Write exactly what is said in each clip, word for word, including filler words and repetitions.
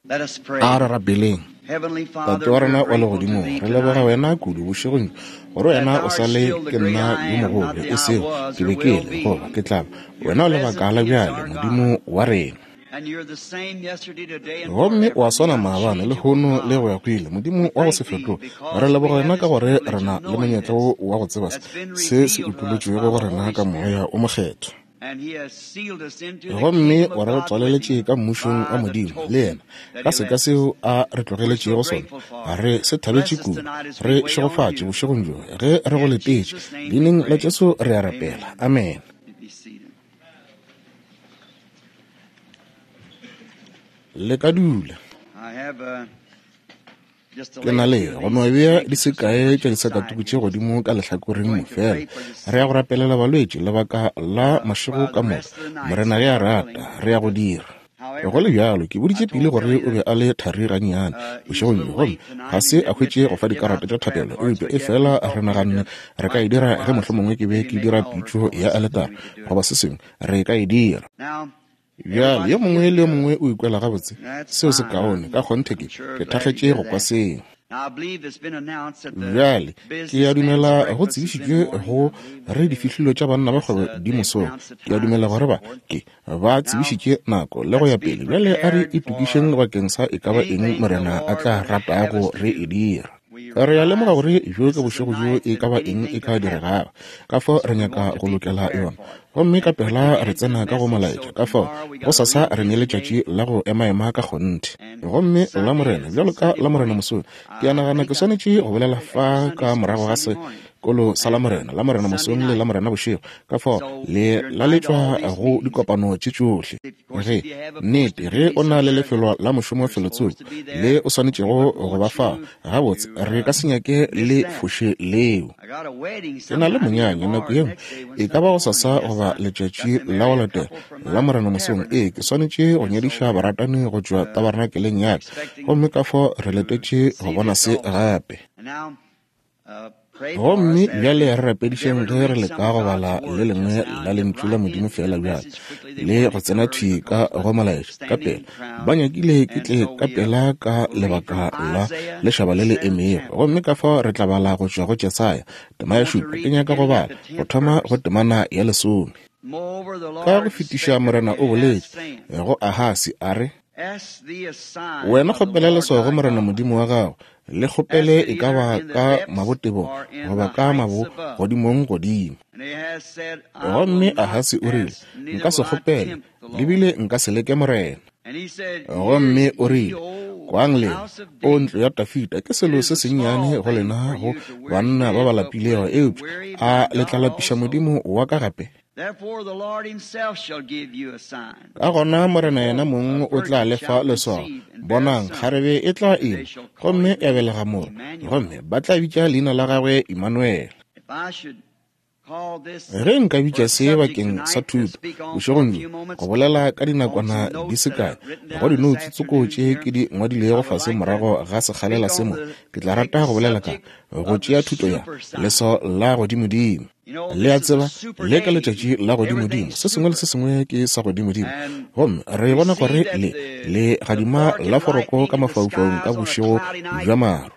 A re rapeleng. Tate wa rena wa legodimong, re leboga wena kudu bošegong gore wena o sa le ke nna yo mogolo, e sego ke be ke le goba ke tla ba. Wena o lebaka la bjale, Modimo wa rena. Gomme wa swana maabane, lehono le go ya go ile, Modimo wa go se fetoge. Re leboga wena ka gore re na le monyetla wo wa go tseba se se utolotšwego go rena ka Moya o Mokgethwa. Gomme wa re tswaleletše ka mmušong wa Modimo le yena ka seka seo a re tlogeletšego sona. Re se thabetše kudu. Re šegofatše bošegong bjo ge re go letetše. Leineng la Jesu re a rapela. Amen. Le ka dula. Ke na le go no bea di se kae tša disakatuku tše godimo ka lehlakoreng mo fela. Re ya go rapelela balwetši lebaka la mašego ka moka. Morena ge a rata, re ya go dira. Go le bjalo, ke boditše pele gore o be a le thari gannyane bošegong bjo, gomme ga se a hwetše go fa dikarata tša thapelo, eupša e fela re naganne re ka e dira ge mohlomongwe ke be ke dira pitšo ya aletara goba se sengwe, re ka e dira. Bjale yo mongwe le yo mongwe o ikwela gabotse, seo se kaone, ka kgonthe ke ke thakgetše go kwa seo. Bjale ke a dumela go tsebišitšwe go re difihlilo tša banna ba kgwebo di mosong. Ke a dumela gore ba ke ba tsebišitše nako le go ya pele. Bjale a re itokišeng bakeng sa e ka ba eng Morena a tla ratago re e dira. Re a lemoga gore bjo ke bošego bjo e ka ba eng e ka diregago, ka fao re nyaka go lokela yona. Gomme ka pela re tsena ka go molaetša, ka fao go sasa re ne letšatši la go emaema ka kgonthe. Gomme la Morena, bjalo ka la Morena mosong, ke a nagana ke swanetše go bolela fa ka morago ga sekolo sa la Morena, la Morena mosong le la Morena bošego, ka fao le laletšwa go dikopano tše tšohle. Ge nnete ge o na le lefelo la mošomo felotsoko le o swanetšego go ba fao, gabotse re ka se nyake le foše leo. Ke na le monyanya nako ye nngwe, e ka ba go sasa goba letšatši la go latela la Morena mosong. Ee, ke swanetše go nyadiša baratani go tšwa tabernakeleng ya ka, gomme ka fao re letetše go bona se gape. Gomme bjale re rapedišeng ge re leka go bala le lengwe la lentšu la Modimo fela bjale le go tsena thwi ka go molaetša ka pela. Ba nyakile ke tle ka pela ka lebaka la lešaba le le emego. Gomme ka fao re tla bala go tšwa go Jesaya tema ya šupa. Ke nyaka go bala go thoma go temana ya lesome. Ka go fetiša Morena o boletše go Ahasi a re, wena kgopela leswao go Morena Modimo wa gago, le kgopele e ka ba ka mabotebong goba ka mabogodimong godimo. Gomme Ahasi o rile, nka se kgopele, le bile nka se leke Morena. Gomme o rile, kwang lena, o ntlo ya Dafida, ke selo se sennyane go lena go banna ba ba lapilego, eupša a le tla lapiša Modimo wa ka gape? Ka gona Morena yena mong o tla le fa leswao. Bonang, kgarebe e tla ima, gomme ya belega morwa, gomme ba tla bitša leina la gagwe Immanuel. Ge nka bitša se bakeng sa thuto bošegong bjo, go bolela ka dinakwana di se kae go dinoutse tsoko tše ke di ngwadilego fase morago ga sekgalela se mo, ke tla rata go bolela ka go tšea thuto ya leswao la godimodimo. Le a tseba, le ka letšatši la godimodimo, se sengwe le se sengwe ke sa godimodimo. Gomme re bona gore le le gadima la foroko ka mafaufaung ka bošego bja maru.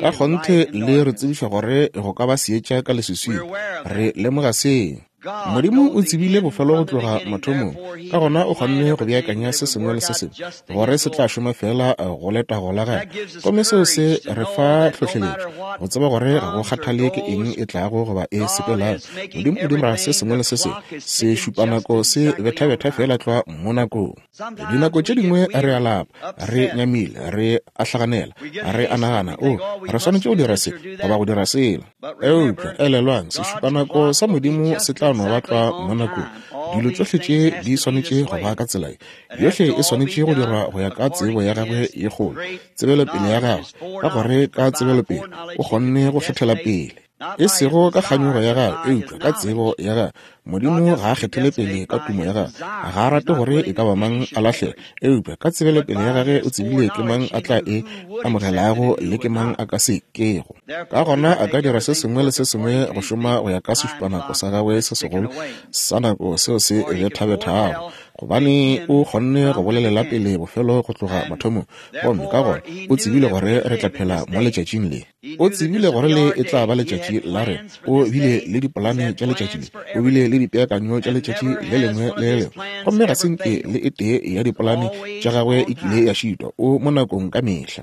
Ka kgonthe le re tsebiša gore go ka ba seetša ka leswiswing. Re lemoga seo. Modimo o tsebile bofelo go tloga mathomong, ka gona o kgonne go beakanya se sengwe le se sengwe gore se tla šoma fela go letago la gagwe. Gomme seo se re fa tlhohleletšo go tseba gore ga go kgathale ke eng e tlago goba e sepelago, Modimo o dira se sengwe le se sengwe se šupa nako se bethabetha fela tlwa mo nakong. Dinako tše dingwe re a lapa, re nyamile, re a hlaganela, re a nagana, o re swanetše go dira se goba go dira sela. Eupša elelwang, sešupanako sa Modimo se tla no ba tlwa mo nakong. Dilo tšohle tše di swanetše go ba ka tsela ye. Yohle e swanetše go dirwa go ya ka tsebo ya gagwe ye kgolo, tsebelopele ya gagwe, ka gore ka tsebelopele o kgonne go kgethela pele. E sego ka kganyogo ya gagwe, eupša ka tsebo ya gagwe. Modimo ga a kgethele pele ka tumo ya gagwe, ga a rate gore e ka ba mang a lahlege, eupša ka tsebelopele ya gagwe o tsebile ke mang a tla e amogelago le ke mang a ka se kego. Ka gona a ka dira se sengwe le se sengwe go šoma go ya ka sešupanako sa gagwe se segolo sa nako seo se bethabethago, Gobane o kgonne go bolelela pele bofelo go tloga mathomong, gomme ka gona o tsebile gore re tla phela mo letšatšing le. O tsebile gore le e tla ba letšatši la rena. O bile le dipolane tša letšatši le, o bile le dipeakanyo tša letšatši le lengwe le le lengwe, gomme ga se nke le e tee ya dipolane tša gagwe e kile ya šitwa. O mo nakong ka mehla.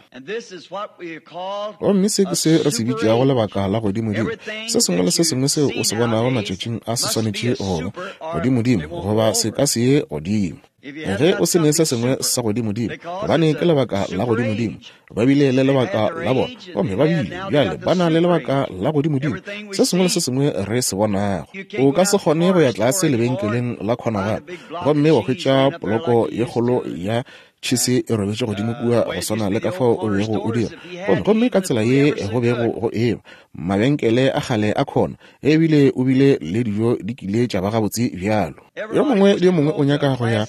Gomme se ke se re se bitšago lebaka la godimodimo. Se sengwe le se sengwe seo o se bonago matšatšing a se swanetše go ba godimodimo, goba se ka se ye godimo. Ge o se ne se sengwe sa godimodimo, gobane ke lebaka la godimodimo, ba bile le lebaka la bona, gomme ba bile bjale ba na le lebaka la godimodimo. Se sengwe le se sengwe re se bonago, o ka se kgone go ya tlase lebenkeleng la khona gape gomme wa hwetša poloko ye kgolo ya tšhese e robetše godimo kua go swana le ka fao o bego o dira. Gomme gomme ka tsela ye go bego go eba mabenkele a kgale a khona, ebile o bile le dijo di kile tša ba gabotse bjalo. Yo mongwe le yo mongwe o nyaka go ya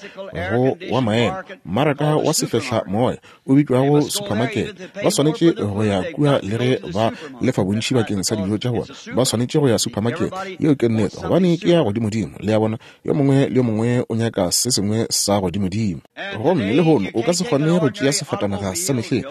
go wa maemo mmaraka wa sefehla moya o bitšwago supermarket. Ba swanetše go ya kua le ge ba lefa bontši bakeng sa dijo tša bona, ba swanetše go ya supermarket. Yeo ke nnete, gobane ke ya godimodimo. Le a bona, yo mongwe le yo mongwe o nyaka se sengwe sa godimodimo. Gomme lehono o ka se kgone go tšea sefatanaga sa mehleng.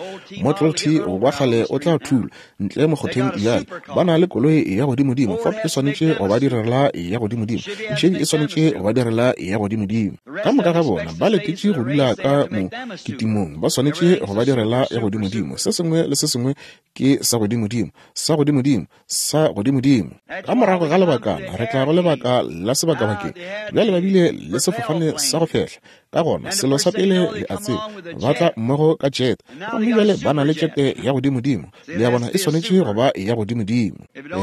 Model T wa kgale o tla thula ntle mokgotheng bjale. Ba na le koloi ya godimodimo. Ford e swanetše go ba direla ya godimodimo, Chevy e swanetše go ba direla ya godimodimo. Ka moka ga bona ba letetše go dula ka mo kitimong, ba swanetše go ba direla ya godimodimo. Se sengwe le se sengwe ke sa godimodimo, sa godimodimo, sa godimodimo. Ka morago ga lebakana re tla go lebaka la sebakabakeng. Bjale ba bile le sefofane sa go fehla. Ka gona selo sa pele le a tseba, ba tla mmogo ka jet, gomme bjale ba na le jete ya godimodimo. Le a bona, e swanetše go ba ya godimodimo.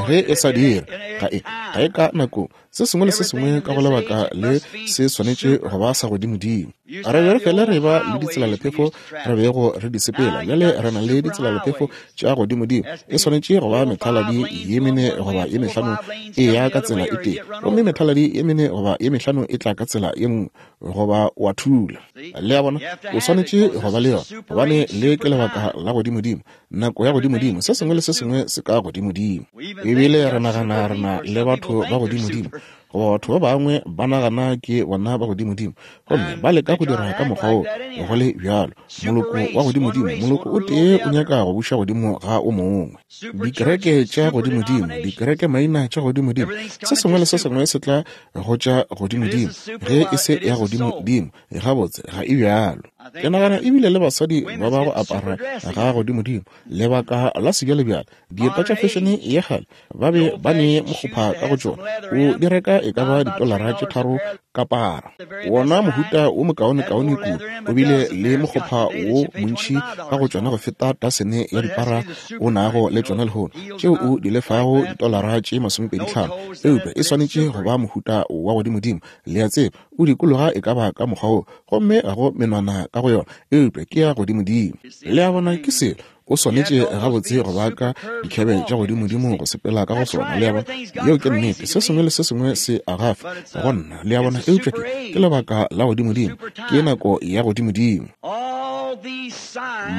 Ge e sa dire, ga e ga e ka nako. Se sengwe le se sengwe ka go lebaka le se swanetše go ba sa godimodimo. Re be re fele re ba le ditselalephefo re bego re di sepela, bjale re na le ditselalephefo tša godimodimo. E swanetše go ba methaladi ye mene goba ye mehlano e ya ka tsela e tee, gomme methaladi ye mene goba ye mehlano e tla ka tsela ye nngwe, goba wa thula. Le a bona, o swanetše go ba le yona, gobane le ke lebaka la godimodimo, nako ya godimodimo. Se sengwe le se sengwe se ka godimodimo. Ebile re nagana re na le batho ba godimodimo, goba batho ba bangwe ba nagana ke bona ba godimodimo, gomme ba leka go dira ka mokgwa wo go le bjalo. Moloko wa godimodimo, moloko o tee o nyaka go buša godimo ga o mongwe. Dikereke tša godimodimo, dikereke maina tša godimodimo, se sengwe le se sengwe se tla go tša godimodimo. Ge e se ya godimodimo, gabotse ga e bjalo. Ke nagana ebile le basadi ba ba go apara ga godimodimo, lebaka la sebjalebjale, dieta tša fešene ye kgale ba be ba ne mokgopha ka go tšona, o di reka e ka ba ditolara tše tharo ka para. Wona mohuta wo mokaonekaone kudu, o bile le mokgopha wo montši ka go tšona go feta tasene ya dipara o nago le tšona lehono, tšeo o di lefago ditolara tše masomepedi tlhano. Eupša e swanetše go ba mohuta wa godimodimo. Le a tseba, o dikologa e ka ba ka mokgwa wo, gomme ga go menwana ka go yona, eupša ke ya godimodimo. Le a bona, ke selo o swanetše gabotse go ba ka dikhebe tša godimodimo go sepela ka go sona. Le a bona, yeo ke nnete. Se sengwe le se sengwe se a gafa go nna. Le a bona, eupša ke ke lebaka la godimodimo, ke nako ya godimodimo.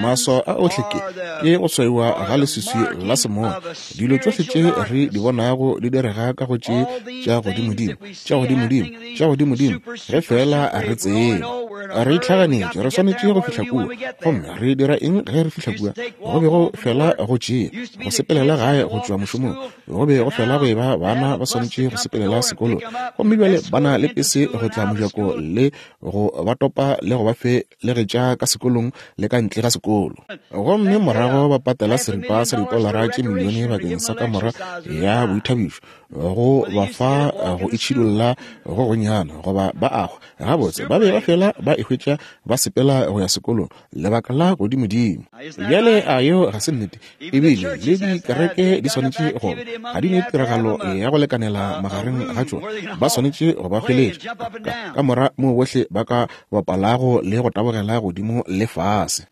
Maswao a ohle ke ke go swaiwa ga leswiswi la semoya. Dilo tšohle tše re di bonago di direga ka go tše tša godimodimo, tša godimodimo, tša godimodimo, ge fela re tseba. Re itlhaganetše, re swanetše go fihla kua. Gomme re dira eng ge re fihla kua? Go be go fela go tšea go sepelela gae go tšwa mošomong, go be go fela go eba bana ba swanetše go sepelela sekolong, gomme bjale ba na le pese go tla mojako le go ba topa le go ba felegetša ka sekolong le ka ntle ga sekolo. Gomme morago ba patela seripa sa ditolara tše milione bakeng sa kamora ya boithabišo go ba fa go itšhidulla go gonyana, goba ba agwa. Gabotse ba be ba fela ba e hwetša ba sepela go ya sekolong, lebaka la godimodimo. Bjale a yeo ga se nnete? Ebile le dikereke di swanetše go ga di ne tiragalo ya go lekanela magareng ga tšona, ba swanetše go ba hweletša ka mora moo bohle ba ka bapalago le go tabogela godimo le lefase.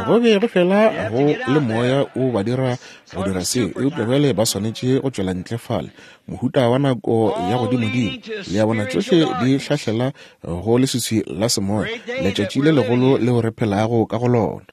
Go be go fela go le moya o ba dira go dira seo, eupša bjale ba swanetše go tšwela ntle fale, mohuta wa nako ya godimodimo. Le a bona, tšohle di hlahlela go leswiswi la semoya, letšatši le legolo leo re phelago ka go lona.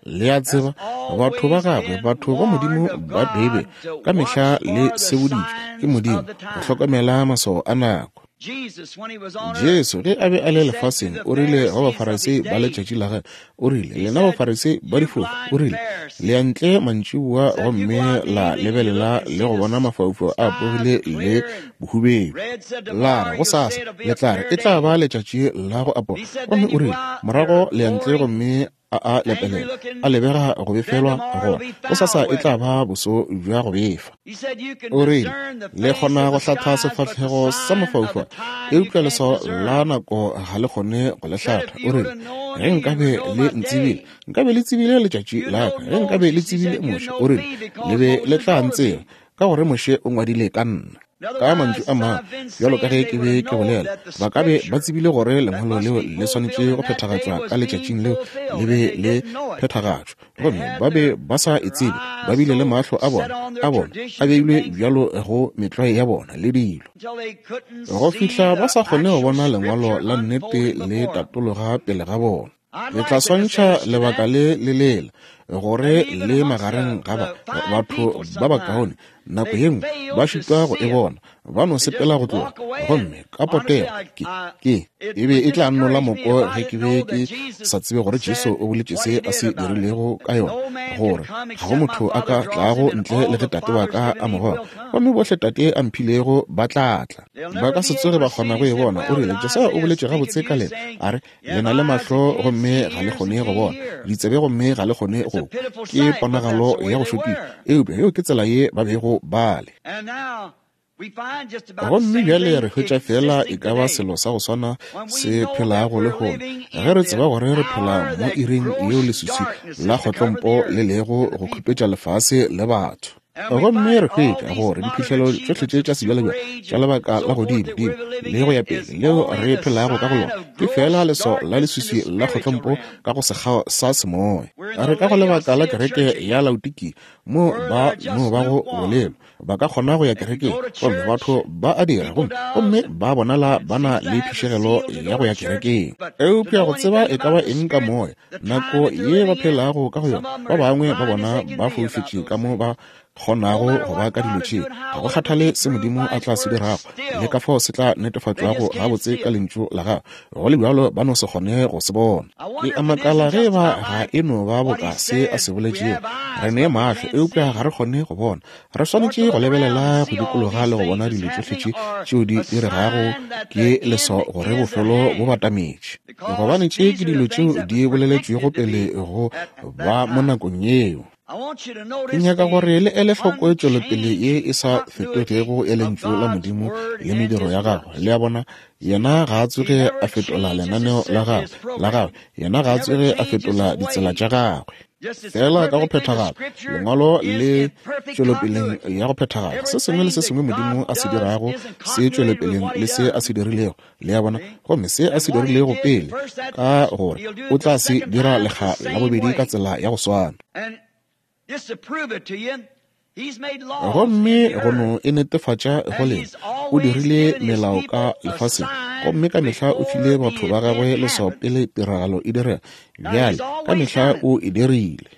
Le a tseba, batho ba gagwe, batho ba Modimo ba Beibe, ka mehla le seboditšwe ke Modimo go hlokomela maswao a nako. Jesu ge a be a le lefaseng, o rile go Bafarisei ba letšatši la gagwe, o rile, lena Bafarisei ba difofu, o rile, le ya ntle mantšiboa gomme la lebelela le go bona mafaufau a apogile le bohubedu, la re gosasa le tla re e tla ba letšatši la go apoga. Gomme o rile, morago le ya ntle gomme a a lepelela, a lebega go befelwa gore gosasa e tla ba boso bja go befa. O rile, le kgona go hlatha sefahlego sa mafaufau, eupša leswao la nako ga le kgone go le hlatha. O rile, ge nkabe le ntsebile, nkabe le tsebile letšatši la ka, ge nkabe le tsebile Moshe, o rile, le be le tla ntseba, ka gore Moshe o ngwadile ka nna. Ka mantšu a mangwe, bjalo ka ge ke be ke bolela, ba ka be ba tsebile gore lengwalo leo le swanetše go phethagatšwa ka letšatšing leo le be le phethagatšwa, gomme ba be ba sa e tsebe. Ba bile le mahlo a bona a bona a beilwe bjalo go metlwae ya bona le dilo, go fihla ba sa kgone go bona lengwalo la nnete le tatologa pele ga bona. Le tla swantšha lebaka le le lela gore le magareng ga ba batho ba bakaone nako ye nngwe ba šitwa go e bona, ba no sepela go tloga. Gomme ka potego ke ke e be e tla nnola moko ge ke be ke sa tsebe gore Jesu o boletše se a se dirilego ka yona, gore ga go motho a ka tlago ntle le ge Tate wa ka a mo goga, gomme bohle Tate a mphilego ba tla tla. Ba ka se tsoge ba kgona go e bona. O rile, Jesaya o boletše gabotse ka lena, a re, le na le mahlo gomme ga le kgone go bona, ditsebe gomme ga le kgone go kwa. Ke ponagalo ya go šokiša, eupša yeo ke tsela ye ba bego ba le. Gomme bjale re hwetša fela e ka ba selo sa go swana se phelago lehono, ge re tseba gore re phela mo iring yeo leswiswi la kgotlompo le lego go khupetša lefase le batho. Gomme re hwetša gore diphihlelo tšohle tše tša sebjalebjale tša lebaka la godimo-dimo le go ya pele leo re phelago ka go lona ke fela leswao la leswiswi la kgotlompo ka go sekgao sa semoya. Re ka go lebaka la kereke ya Laodikia, mo ba no ba go bolelwa ba ka kgona go ya kerekeng, gomme batho ba a dira, gomme gomme ba bonala ba na le phišegelo ya go ya kerekeng. Eupša go tseba e ka ba eng ka moya, nako ye ba phelago ka go yona, ba bangwe ba bona ba foufetše ka mo ba kgonago go ba ka dilo tše. Ga go kgathale se Modimo a tla se dirago le ka fao se tla netefatšwago gabotse ka lentšu la gagwe, go le bjalo ba no se kgone go se bona. Ke a makala ge ba ga e no ba boka se a se boletšego, re ne mahlo eupša ga re kgone go bona. Re swanetše go lebelela go dikologa le go bona dilo tšohle tše tšeo di diregago, ke leswao gore bofelo bo batametše, gobane tše ke dilo tšeo di boleletšwego pele go ba mo nakong yeo. Ke nyaka gore le ele hloko tšwelopele ye e sa fetogego ya lentšu la Modimo le mediro ya gagwe. Le a bona, yena ga a tsoge a fetola lenaneo la gagwe la gagwe, yena ga a tsoge a fetola ditsela tša gagwe. Fela ka go phethagala, lengwalo le tšwelopeleng ya go phethagala. Se sengwe le se sengwe Modimo a se dirago se tšwelopeleng le se a se dirilego. Le a bona, gomme se a se dirilego pele, ka gore o tla se dira lekga la bobedi ka tsela ya go swana. Gomme go no e netefatša go lena, o dirile melao ka lefaseng, gomme ka mehla o file batho ba gagwe leswao pele tiragalo e direga. Bjale ka mehla o e dirile,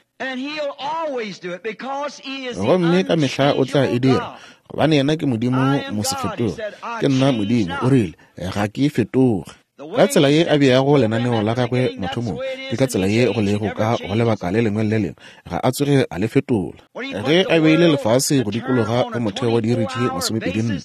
gomme ka mehla o tla e dira, gobane yena ke Modimo mosefetoge. Ke nna Modimo, o rile, ga ke fetoge. Ka tsela ye a beago lenaneo la gagwe mathomong, ke ka tsela ye go lego ka go lebaka le lengwe le le lengwe, ga a tsoge a le fetola. Ge a beile lefase go dikologa go motheo wa diiri tše masomepedi nne,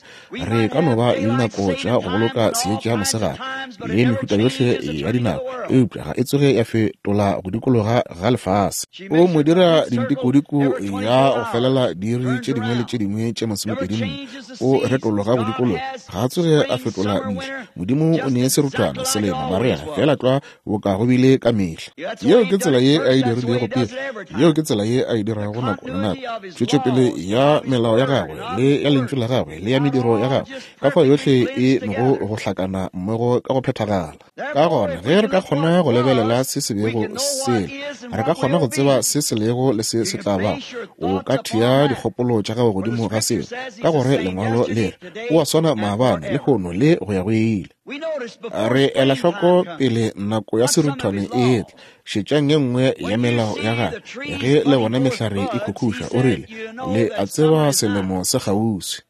re ka no ba le dinako tša go boloka seetša mosegare le mehuta yohle ya dinako, eupša ga e tsoge ya fetola go dikologa ga lefase. O mo dira dintikodiko ya go felela diiri tše dingwe le tše dingwe tše masomepedi nne, o retologa go dikologa, ga a tsoge a fetola ntlha. Modimo o nee seruthwana seruthwana, selemo, marega, fela tlwa boka go bile ka mehla. Yeo ke tsela ye a e dirilego pele, yeo ke tsela ye a e dirago nako le nako. Tšwetšopele ya melao ya gagwe le ya lentšu la gagwe le ya mediro ya gagwe, ka fao yohle e nogo go hlakana mmogo ka go phethagala. Ka gona ge re ka kgona go lebelela se se bego se, re ka kgona go tseba se se lego le se se tla bago. O ka thea dikgopolo tša gago godimo ga seo, ka gore lengwalo le re o a swana maabane, lehono le go ya go ile. Re ela hloko pele nako ya seruthwane e etla. Šetšang ye nngwe ya melao ya gagwe. Ge le bona mehlare e khukhuša, o rile, le a tseba selemo se kgauswi.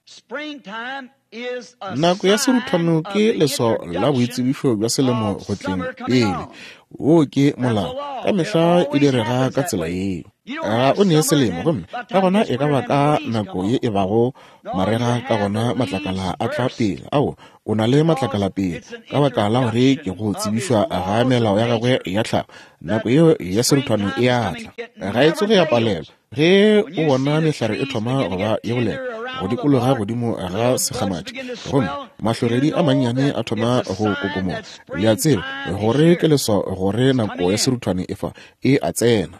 Nako ya seruthwano ke leswao la boitsebišo bja selemo go tleng pele. Wo ke molao, ka mehla e direga ka tsela yeo. Ga o nee selemo, gomme ka gona e ka ba ka nako ye e bago marega, ka gona matlakala a tla pele. Ao, o na le matlakala pele, ka baka la gore ke go tsebišwa ga melao ya gagwe ya tlhago. Nako yeo ya seruthwano e a tla, ga e tsoge ya palelwa. Ge o bona mehlare e thoma go ba ye bolela go dikologa godimo ga sekgamathi, gomme mahlogedi a mannyane a thoma go kokomoga, le a tseba gore ke leswao gore nako ya seruthwane e fa e a tsena.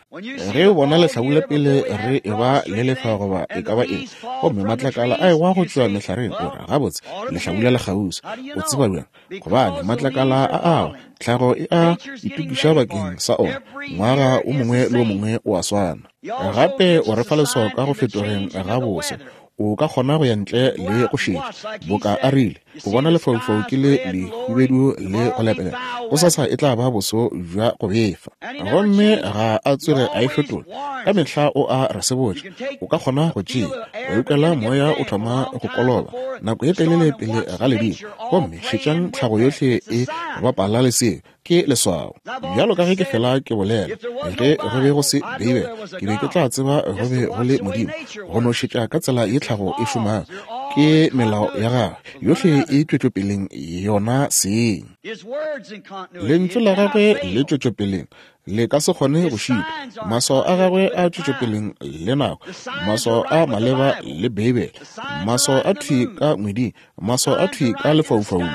Ge o bona lehlabula pele re e ba le lefa goba e ka ba eng, gomme matlakala a ewa go tšwa mehlareng, o re gabotse lehlabula le kgauswi. O tseba bjang? Gobane matlakala a awa, tlhago e a itokiša bakeng sa ona. Ngwaga o mongwe le o mongwe o a swana. Gape o re fa leswao ka go fetogeng ga boso. O ka kgona go ya ntle le go šetša, boka a rile, o bona lefaufau ke le lehubedu le go lepelela, gosasa e tla ba boso bja go befa. Gomme ga a tsoge a e fetola, ka mehla o a re sebotša. O ka kgona go tšea, wa utlwela moya o thoma go koloba nako ye telele pele ga ledimo, gomme šetšang tlhago yohle e bapala le seo. Ke leswao. Bjalo ka ge ke fela ke bolela, ge go be go se Beibele, ke be ke tla tseba go be go le Modimo. Go no šetša ka tsela ye tlhago e šomago, ke melao ya gagwe yohle e tšwetšopeleng yona seng. Lentšu la gagwe le tšwetšopeleng, le ka se kgone go šitwa. Maswao a gagwe a tšwetšopeleng le nako, maswao a maleba le Beibele, maswao a thwi ka ngweding, maswao a thwi ka lefaufaung,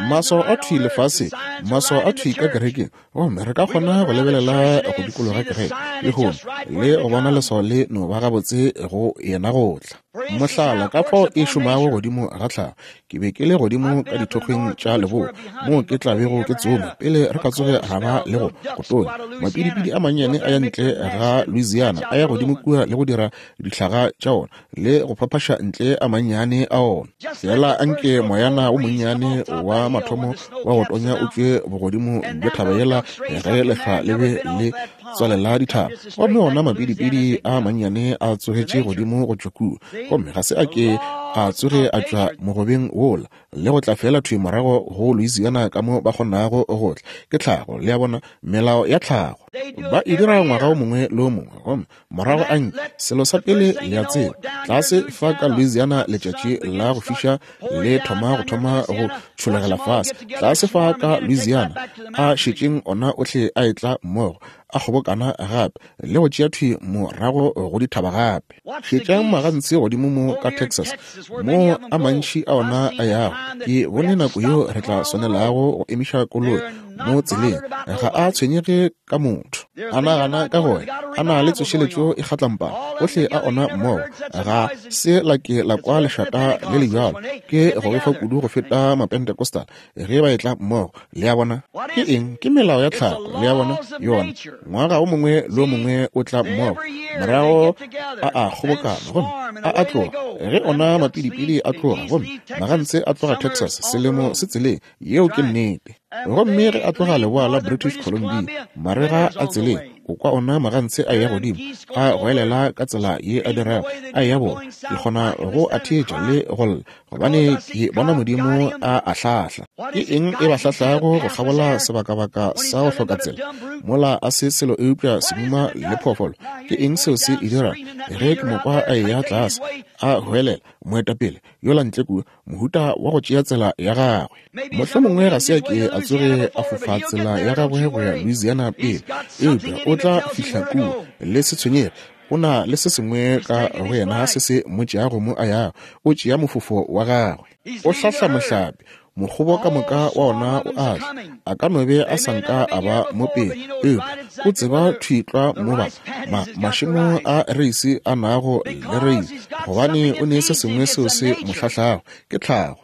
maswao a thwi lefaseng, maswao a thwi ka kerekeng. Gomme re ka kgona go lebelela go dikologa kereke lehono le go bona leswao le no ba gabotse go yena go tla. Mohlala, ka fao e šomago godimo ga tlhago. Ke be ke le godimo ka dithokgweng tša leboa moo ke tla bego ke tsoma pele re ka tsoge ga ba le go go tonya. Mapidipidi a mannyane a ya ntle ga Louisiana, a ya godimo kua le go dira dihlaga tša ona le go phaphaša ntle a mannyane a ona. Fela anke moyana o monnyane wa mathomo wa go tonya o tšwe bogodimo bja thaba yela ge lehlwa le be le tswalela dithaba, gomme ona mapidipidi a mannyane a tsogetše godimo go tšwa kua, gomme ga se a ke a tsoge a tšwa mogobeng wola le go tla fela thwi morago go Louisiana ka mo ba kgonago go tla. Ke tlhago, le a bona, melao ya tlhago. Ba e dira ngwaga o mongwe le o mongwe, gomme morago a nke selo sa pele le a tseba, tlase fa ka Louisiana letšatši la go fiša le thoma go thoma go tšhologela fase. Tlase fa ka Louisiana a šetšeng ona ohle a etla mmogo, a kgobokana gape le go tšea thwi morago go dithaba gape. Šetšang magantsi godimo mo ka Texas, mo a mantši a ona a yago. Ke bone nako yeo re tla swanelago go emiša koloi mo tseleng. Ga a tshwenyege ka motho, a nagana ka gore a na le tsošeletšo e kgatlampana ohle a ona mmogo. Ga se la ke la kwa lešata le le bjalo. Ke go befa kudu go feta Mapentecostal ge ba etla mmogo. Le a bona ke eng? Ke melao ya tlhago. Le a bona yona ngwaga o mongwe le o mongwe o tla mmogo, morago a a kgobokana gomme a a tloga. Ge ona mapidipidi a tloga gomme magantse a tloga Texas selemo se tseleng, yeo ke nnete. Gomme ge a tloga leboa la British Columbia marega a tseleng, o kwa ona magantse a ya godimo a goelela ka tsela ye a dirago a ya bona. Ke kgona go a theetša le go lla, gobane ke bona Modimo a a hlahla. Ke eng e ba hlahlago go kgabola sebakabaka sa go hloka tsela mola a se selo eupša semuma le phoofolo? Ke eng seo se e dirago? Ge ke mo kwa a eya tlase a goelela moetapele yola ntle kua, mohuta wa go tšea tsela ya gagwe. Mohlomongwe ga se a ke a tsoge a fofa tsela ya gagwe go ya Louisiana pele, eupša o tla fihla kua. Le se tshwenyege, o na le se sengwe ka go yena se se mo tšeago mo a yago. O tšea mofofo wa gagwe, o hlahla mohlape. Mokgobo ka moka wa ona o a tla. A ka no be a sa nka a ba mo pele, eupša o tseba thwi tlwa mo ba ma, mašemo a reisi a nago le reisi, gobane o ne se sengwe seo se mo hlahlago, ke tlhago.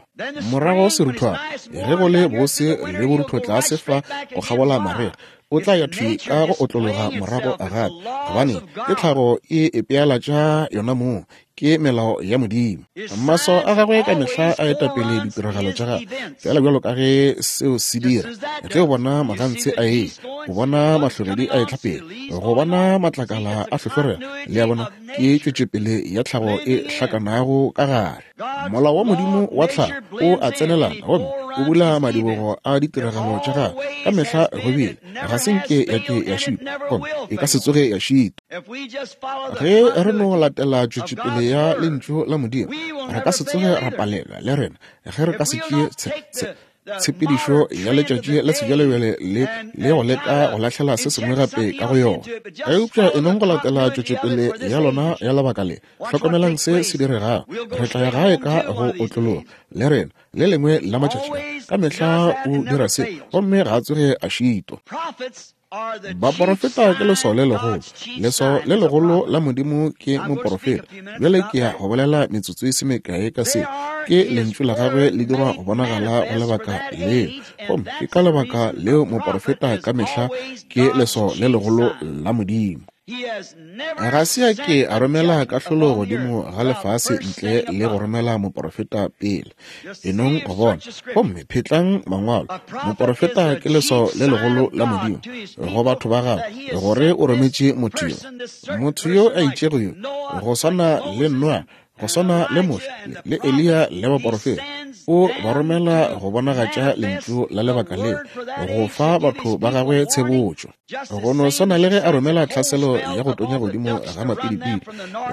Morago seruthwana, ge go le bose le borutho tlase fa go kgabola marega, o tla ya thwi ka go otlologa morago gape, gobane ke tlhago e epealatša yona mong, ke melao ya Modimo. Maswao a gagwe ka mehla a eta pele ditiragalo tša gagwe, fela bjalo ka ge seo se dira. Ge o bona magantshe a e, o bona mahlogedi a etla pele, go bona matlakala a hlohlorega, le a bona, ke tšwetšopele ya tlhago e hlakanago ka gare. Molao wa Modimo wa tlhago o a tsenelana gomme o bula madibogo a ditiragalo tša gagwe ka mehla go bile, ga se nke ya ke ya šitwa, gomme e ka se tsoge ya šitwa. Ge re no latela tšwetšopele ya lentšu la Modimo, re ka se tsoge ra palelwa le rena ge re ka se tšee tshepedišo ya letšatši la sebjalebjale le le go leka go lahlela se sengwe gape ka go yona. Eupša e nong go latela tšwetšopele ya lona ya lebaka le, hlokomelang se se diregago. Re tla ya gae ka go otlologa le rena le lengwe la matšatši. Ka mehla o dira se, gomme ga a tsoge a šitwa. Baporofeta ke leswao le legolo. Leswao le legolo la Modimo ke moporofeta. Bjale ke ya go bolela metsotso e se mekae ka se. Ke lentšu la gagwe le dirwa go bonagala go lebaka leo, gomme ke ka lebaka leo moporofeta ka mehla ke leswao le legolo la Modimo. Ga se a ke a romela kahlolo godimo ga lefase ntle le go romela moporofeta pele. Enong go bona, gomme phetlang mangwalo. Moporofeta ke leswao le legolo la Modimo go batho ba gagwe, gore o rometše motho yo, motho yo a itšego yo, go swana le Noa, go swana le Moshe le Eliya le baporofeta. O ba romela go bonagatša lentšu la lebaka leo, go fa batho ba gagwe tshebotšo. Go no swana le ge a romela tlhaselo ya go tonya godimo ga mapidipidi,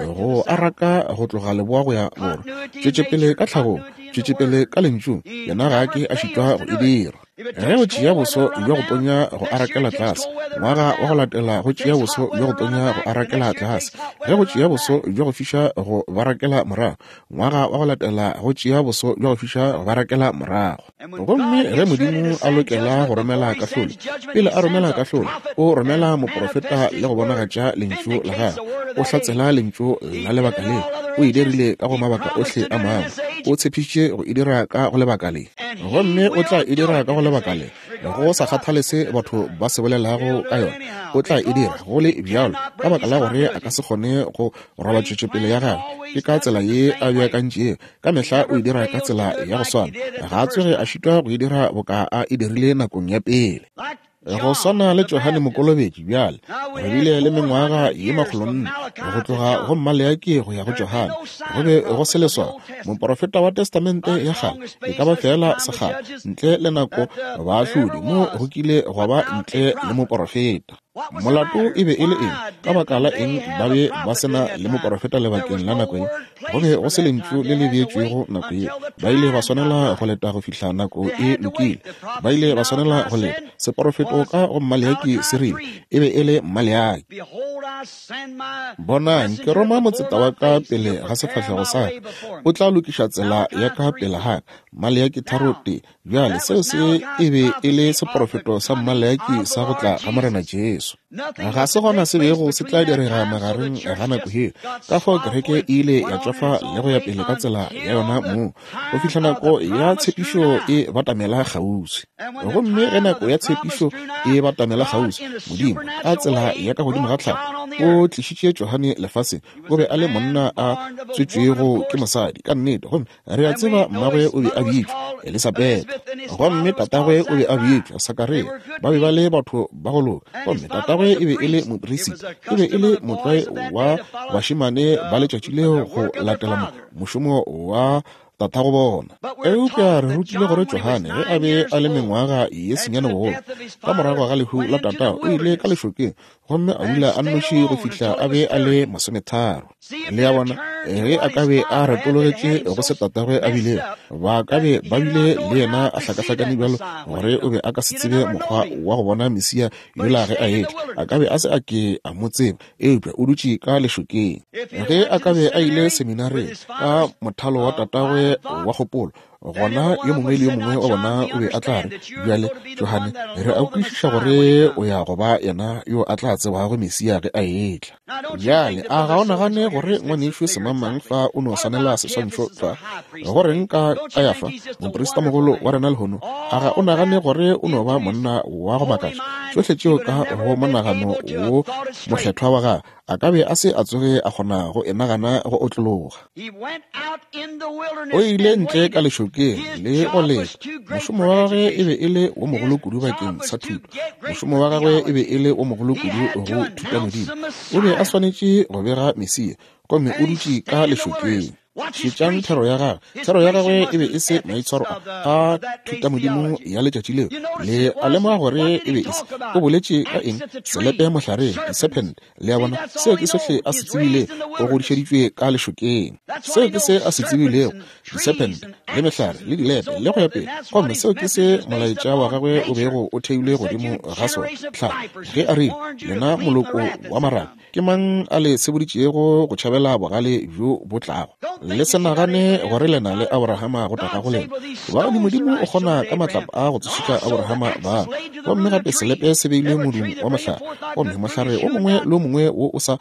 go araka go tloga leboa go ya borwa, tšwetšepele ka tlhagong, tšwetšepele ka lentšung, yena ga a ke a šitwa go e dira. Ge o tšea boso bja go tonya go arakela tlase, ngwaga wa go latela go tšea boso bja go tonya go arakela tlase. Ge go tšea boso bja go fiša go barakela morago, ngwaga wa go latela go tšea boso bja go fiša go barakela morago. Gomme ge Modimo a lokela go romela kahlolo, pele a romela kahlolo, o romela moporofeta le go bonagatša lentšu la gagwe. O hlatsela lentšu la lebaka leo. O e dirile ka go mabaka ohle a mangwe. O tshepišitše go e dira ka go lebaka le, gomme o tla e dira ka go lebaka le, go sa kgathale se batho ba se bolelago ka yona. O tla e dira go le bjalo, ka baka la gore a ka se kgone go roba tšwetšopele ya gagwe. Ke ka tsela ye a beakantšego. Ka mehla o e dira ka tsela ya go swana. Ga a tsoge a šitwa go e dira boka a e dirile nakong ya pele. Go swana le Johane Mokolobetši, bjale re bile le mengwaga ye makgolonne go tloga go Maleaki go ya go Johane, go be go se leswao. Moporofeta wa Testamente ya kgale e ka ba fela sekgala ntle le nako baahlodi, mo go kile gwa ba ntle le moporofeta. Molato e be e le eng? Ka baka la eng ba be ba se na le moporofeta lebakeng la nako ye? Go be go se lentšu le le beetšwego nako ye. Ba ile ba swanela go leta go fihla nako e lokile. Ba ile ba swanela go leta. Seporofeto ka go Maleaki se rile, e be e le Maleaki. Bonang, ke roma motseta wa ka pele ga sefahlego sa ka, o tla lokiša tsela ya ka pele ga ka. Maleaki tharo tee. Bjale seo se e be e le seporofeto sa Maleaki sa go tla ga Morena Jesu. Ga se gona se bego se tla direga magareng ga nako yeo. Ka fao kereke e ile ya tšwafa le go ya pele ka tsela ya yona moo, go fihla nako ya tshepišo e batamela kgauswi. Gomme ge nako ya tshepišo e batamela kgauswi, Modimo ka tsela ya ka godimo ga tlhago o tlišitše Johane lefaseng. O be a le monna a tswetšwego ke mosadi ka nnete, gomme re a tseba mmagwe o be a bitšwa Elisabetha, gomme tatagwe o be a bitšwa Sakaria. Ba be ba le batho ba go loka, gomme tatagwe e be e le moperisita. E be e le motlwae wa bašemane ba letšatši leo go latela mošomo wa tatago bona. Eupša re rutile gore Johane ge a be a le mengwaga ye senyane bogolo, ka morago ga lehu la tatago, o ile ka lešokeng gomme a dula a nnoši go fihla a be a le masometharo. Le a bona, ge a ka be a retologetše go se tatagwe a bilego, ba ka be ba bile le yena a hlakahlakane bjalo gore o be a ka se tsebe mokgwa wa go bona Mesia yola ge a etla. A ka be a se a ke a mo tseba, eupša o dutše ka lešokeng. Ge a ka be a ile seminareng ka mothalo wa tatagwe wa kgopolo, Gona yo mongwe le yo mongwe wa bona o be a tla re, bjale, Johane, re a kwešiša gore o ya go ba yena yo a tla tsebago Mesia ge a etla. Bjale, a ga o nagane gore ngwanešu semangmang fa o no swanela seswantšho tlwa? Go reng ka Kayafa, moprista-mogolo wa rena lehono? A ga o nagane gore o no ba monna wa go makatša? Tšohle tšeo ka go monagano wo mokgethwa wa gagwe, a ka be a se a tsoge a kgona go e nagana go otlologa. O ile ntle ka lešokeng le go leta. Mošomo wa gagwe e be e le wo mogolo kudu bakeng sa thuto. Mošomo wa gagwe e be e le wo mogolo kudu go thuta Modimo. O be a swanetše go bega Mesia, gomme o dutše ka lešokeng. Šetšang thero ya gagwe. Thero ya gagwe e be e se maitshwaro a thutamodimo ya letšatši leo. Le a lemoga gore e be e se. O boletše ka eng? Selepe mohlareng, diserpent. Le a bona, seo ke sohle a se tsebilego. O godišeditšwe ka lešokeng. Seo ke se a se tsebilego, diserpent le mehlare le dilepe le go ya pele. Gomme seo ke se molaetša wa gagwe o bego o theilwe godimo ga sona. Tlhago, ge a rile, lena moloko wa marabe, ke mang a le seboditšego go tšhabela bogale bjo bo tlago? Le se nagane gore le na le Abrahama go tata go lena. Gobane Modimo o kgona ka matlapa a go tsošetša Abrahama bana. Gomme gape selepe se beilwe modung wa mohlare, gomme mohlare o mongwe le o mongwe wo o sa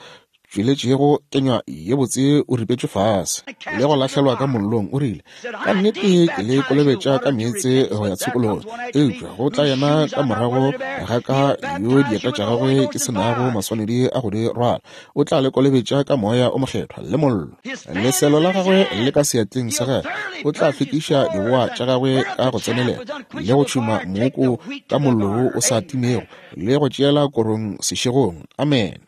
tšweletšego kenywa ye botse o ripetšwe fase le go lahlelwa ka mollong. O rile, ka nnete ke le kolobetša ka meetse go ya tshokologong, eupša go tla yena ka morago ga ka yo dieta tša gagwe ke se nago maswanedi a go di rwala. O tla le kolobetša ka moya o mokgethwa le mollo. Leselo la gagwe le ka seatleng sa gagwe. O tla fetiša diboa tša gagwe ka go tsenelela le go tšhuma mooko ka mollo wo o sa timego le go tšeela korong sešegong. Amen.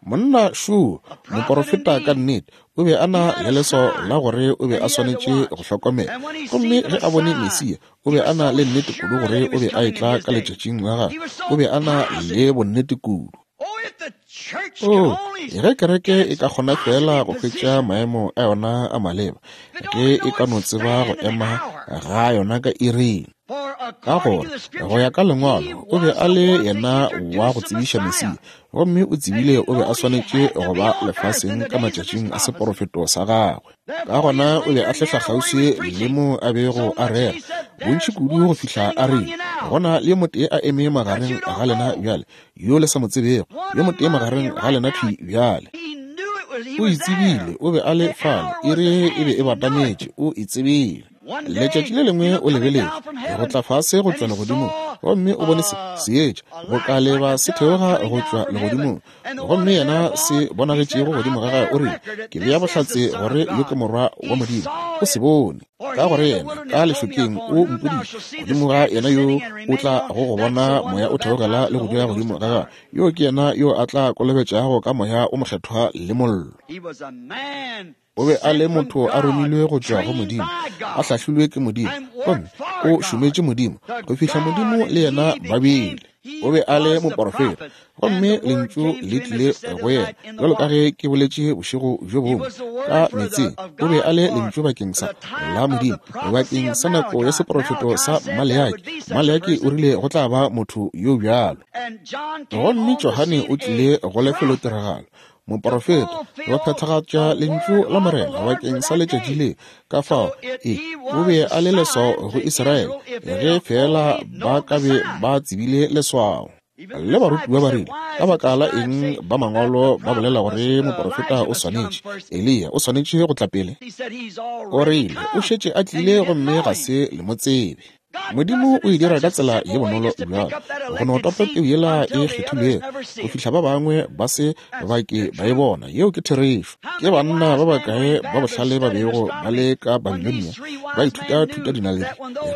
Monna šo, moporofeta ka nnete, o be a na le leswao la gore o be a swanetše go hlokomela. Gomme ge a bone Mesia, o be a na le nnete kudu gore o be a etla ka letšatšing la gagwe. O be a na le bonnete kudu. Oh, ge kereke e ka kgona fela go hwetša maemo a yona a maleba, ge e ka no tseba go ema ga yona ka iring. Ka gore go ya ka lengwalo, o be a le yena wa go tsebiša Mesia, gomme o tsebile o be a swanetše go ba lefaseng ka matšatšing a seporofeto sa gagwe. Ka gona o be a hlehla kgauswi le mo a bego a rera bontši kudu go fihla a rile, gona le yo motee a eme magareng ga lena bjale, yo le sa mo tsebego, yo motee magareng ga lena thwi bjale. O itsebile, o be a le fale, iri e be e batametše, o itsebile. Letšatši le lengwe o lebeletše go tla fase go tšwa legodimong, gomme o bone se seetša go ka leba se theoga go tšwa legodimong, gomme yena se bonagetšego godimo ga gagwe. O rile, ke bea bohlatse gore yo ke morwa wa Modimo. O se bone, ka gore yena ka lešokeng o mpoditše, godimo ga yena yo o tla go go bona moya o theogela le go dula godimo ga gagwe, yo ke yena yo a tla kolobetšago ka moya o mokgethwa le mollo. O be a le motho a romilwe go tšwa go Modimo, a hlahlilwe ke Modimo, gomme o šometše Modimo go fihla Modimo le yena ba bile. O be a le moporofeta, gomme lentšu le tlile go yena, bjalo ka ge ke boletše bošego bjo bongwe ka meetseng. O be a le lentšu bakeng sa la Modimo, bakeng sa nako ya seporofeto sa Maleaki. Maleaki o rile go tla ba motho yo bjalo. Gomme Johane o tlile go lefelotiragalo, moporofeta, go phethagatša lentšu la Morena bakeng sa letšatši le. Ka fao e o be a le leswao go Israele, ge fela ba ka be ba tsebile leswao. Le barutiwa ba rile, ka baka la eng ba mangwalo ba bolela gore moporofeta o swanetše, Eliya o swanetše go tla pele? O rile, o šetše a tlile gomme ga se le mo tsebe. Modimo o e dira ka tsela ye bonolo bjalo, go no topa peu yela e kgethilwego go fihla ba bangwe ba se ba ke ba e bona. Yeo ke therešo. Ke banna ba bakae ba bohlale ba bego ba le ka Babilonia ba ithuta thuta dinaledi,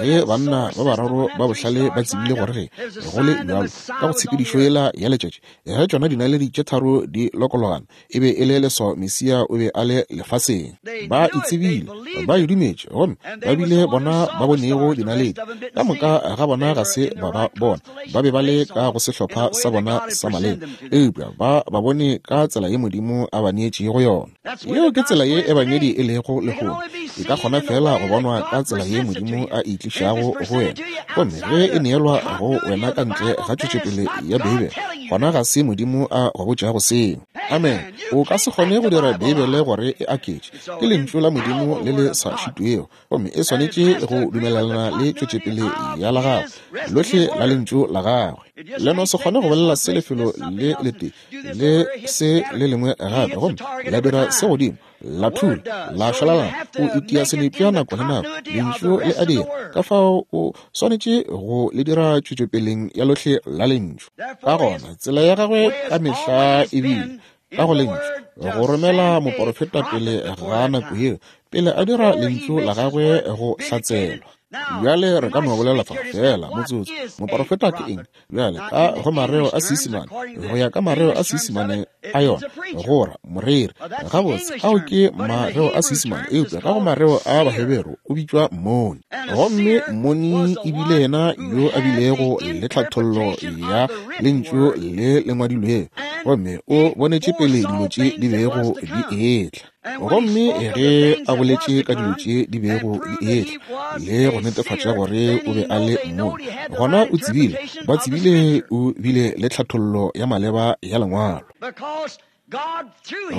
ge banna ba bararo ba bohlale ba tsebile gore ge go le bjalo ka go tshepedišo yela ya letšatši, ge tšona dinaledi tše tharo di lokologana, e be e le leswao Mesia o be a le lefaseng. Ba e tsebile, ba e dumetše, gomme ba bile bona ba bonego dinaledi. Ka moka ga bona ga se ba ba bona, ba be ba le ka go sehlopha sa bona sa maleba, eupša ba ba bone ka tsela ye Modimo a ba neetšego yona. Yeo ke tsela ye ebangedi e lego lehono. E ka kgona fela go bonwa ka tsela ye Modimo a e tlišago go wena, gomme ge e neelwa go wena ka ntle ga tšwetšopele ya Beibele, gona ga se Modimo a go botšago seo. Amen. O ka se kgone go dira Beibele gore e aketše. Ke lentšu la Modimo le le sa šitwego, gomme e swanetše go dumelelana le tšwetšopele ya la gagwe lohle la lentšu la gagwe. Le no se kgone go bolela se lefelo le letee le se le lengwe gape, gomme la dira se godimo la thula la šwalalana. O itia senepša nako le nako, lentšu le a dira. Ka fao o swanetše go le dira tšwetšopeleng ya lohle la lentšu. Ka gona tsela ya gagwe ka mehla e bile ka go lentšu, go romela moporofeta pele ga nako yeo, pele a dira lentšu la gagwe go hlatselwa. Bjale re ka no bolela fa fela motsotso. Moporofeta ke eng? Bjale ka go mareo a Seisemane, go ya ka mareo a Seisemane a yona, go ra moreri. Gabotse, ao ke mareo a Seisemane, eupša ka go mareo a Baheberu o bitšwa mmoni. Gomme mmoni e bile yena yo a bilego le tlhathollo ya lentšu le le ngwadilwego, gomme o bonetše pele dilo tše di bego di etla. Gomme ge a boletše ka dilo tše di bego di etla le go netefatša gore o be a le mmoni, gona o tsebile, ba tsebile o bile le tlhathollo ya maleba ya lengwalo.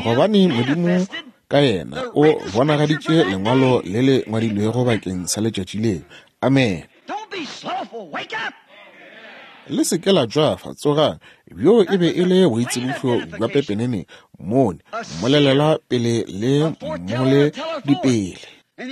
Gobane Modimo ka yena o bonagaditše lengwalo le le ngwadilwego bakeng sa letšatši leo. Amen. Le se ke la tšwafa, tsogang. Bjo e be e le boitsebišo bja pepenene, mmoni, mmolelela pele le mmole dipele.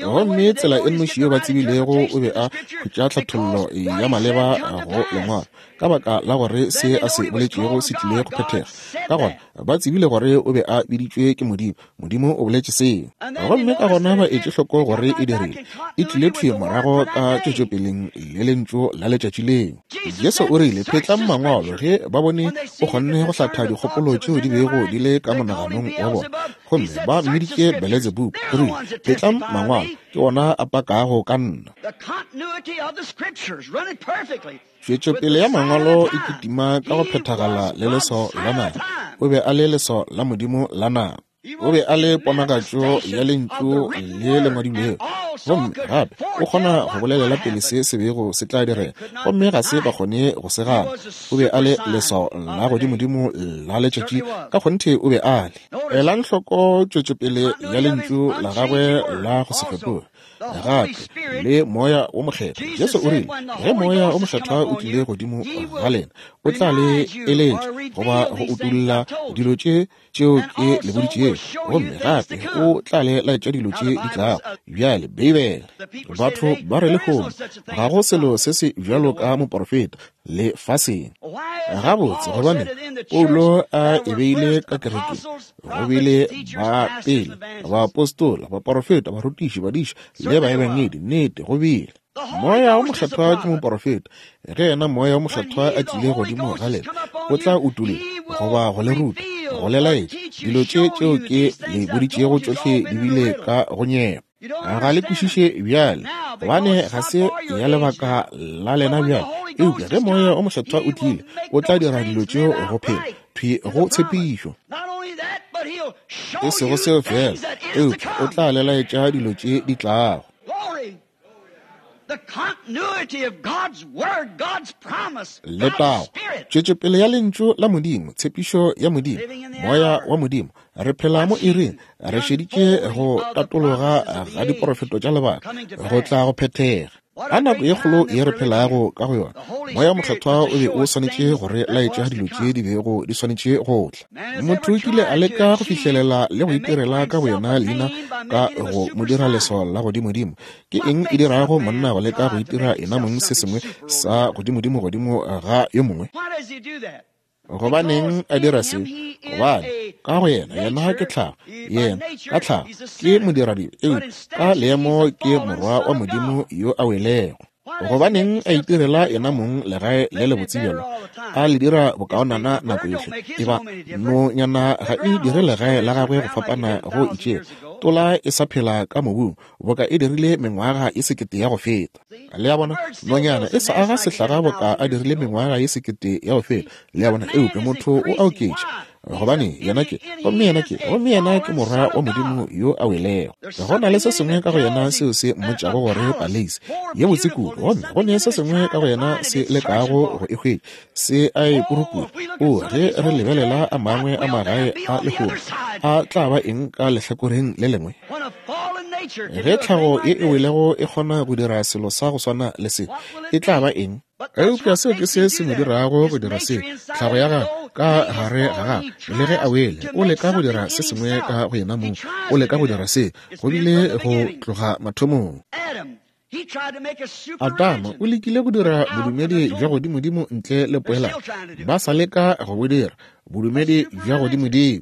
Gomme tsela e nnoši yeo ba tsebilego o be a hwetša tlhathollo ya maleba go lengwalo, ka baka la gore se a se boletšego se tlile go phethega. Ka gona ba tsebile gore o be a biditšwe ke Modimo. Modimo o boletše seo. Gomme ka gona ba etše hloko gore e dirile, e tlile thwi morago ka tšwetšopeleng le lentšu la letšatši leo. Jesu o rile, phetlang mangwalo, ge ba bone o kgonne go hlatha dikgopolo tšeo di bego di le ka monaganong wa bona, gomme ba mmiditše Beelzebub. O rile, phetlang mangwalo, ke ona a pakago ka nna. Tšwetšopele ya mangwalo e kitima ka go phethagala le leswao la nako. O be a le leswao la Modimo la nako. O be a le ponagatšo ya lentšu le le ngwadilwego, gomme gape o kgona go bolelela pele se se bego se tla direga, gomme ga se ba kgone go se gana. O be a le leswao la godimodimo la letšatši, ka kgonthe o be a le. Elang hloko tšwetšopele ya lentšu la gagwe la go se fetoge, gape le Moya wo Mokgethwa. Jesu o rile, ge Moya wo Mokgethwa o tlile godimo ga lena, o tla le eletša goba go utolla dilo tše tšeo ke le boditšego, gomme gape o tla le laetša dilo tše di tlago. Bjale Beibele, batho ba re lehono ga go selo se se bjalo ka moporofeta lefaseng. Gabotse, gobane Paulo a e beile ka kerekeng, go bile ba pele, baapostola, baporofeta, barutiši, badiši le baebangedi. Nnete, go bile. Moya wo Mokgethwa ke moporofeta. Ge yena Moya wo Mokgethwa a tlile godimo ga lena, o tla utolla goba go le ruta, go le laetša dilo tše tšeo ke le boditšego tšohle di bile ka go nyepa. Ga le kwešiše bjale, gobane ga se ya lebaka la lena bjale. Eupša ge Moya wo Mokgethwa o tlile, o tla dira dilo tšeo go phela thwi go tshepišo. E sego seo fela, eupša o tla le laetša dilo tše di tlago. Letago, tšwetšopele ya lentšu la Modimo, tshepišo ya Modimo, Moya wa Modimo. Re phela mo iring, re šeditše go tatologa ga diporofeto tša lebaka go tla go phethega. Ka nako ye kgolo ye re phelago ka go yona, Moya Mokgethwa o be o swanetše go re laetša dilo tše di bego di swanetše go tla. Motho o kile a leka go fihlelela le go itirela ka boyena leina ka go mo dira leswao la godimodimo. Ke eng e dirago monna go leka go itira yena mong se sengwe sa godimodimo godimo ga yo mongwe? Gobaneng a dira se? Gobane ka go yena, yena ke tlhago, yena ka tlhago ke modiradibe, eupša ka leemo ke morwa wa Modimo yo a welego. Gobaneng a itirela yena mong legae le lebotse bjalo, a le dira bokaonana nako yohle? Eba nonyana ga e dire legae la gagwe go fapana go itšego. Tola e sa phela ka mobung boka e dirile mengwaga e sekete ya go feta. Le a bona, nonyana e sa aga sehlaga boka a dirile mengwaga e sekete ya go feta. Le a bona, eupša motho o a oketša. Gobane yena ke, gomme yena ke, gomme yena ke morwa wa Modimo yo a welego. Go na le se sengwe ka go yena seo se mmotšago gore paleise ye botse kudu, gomme go ne se sengwe ka go yena se lekago go e hwetša, se a e purupura. O, ge re lebelela a mangwe a magae a lehono, a tla ba eng ka lehlakoreng le lengwe? Ge tlhago ye e welego e kgona go dira selo sa go swana le se, e tla ba eng? Eupša seo ke se se mo dirago go dira se, tlhago ya gagwe ka gare ga gagwe, le ge a wele, o leka go dira se sengwe ka go yena mong, o leka go dira se, go bile go tloga mathomong. Adama o lekile go dira bodumedi bja godimodimo ntle le poelano. Ba sa leka go bo dira, bodumedi bja godimodimo.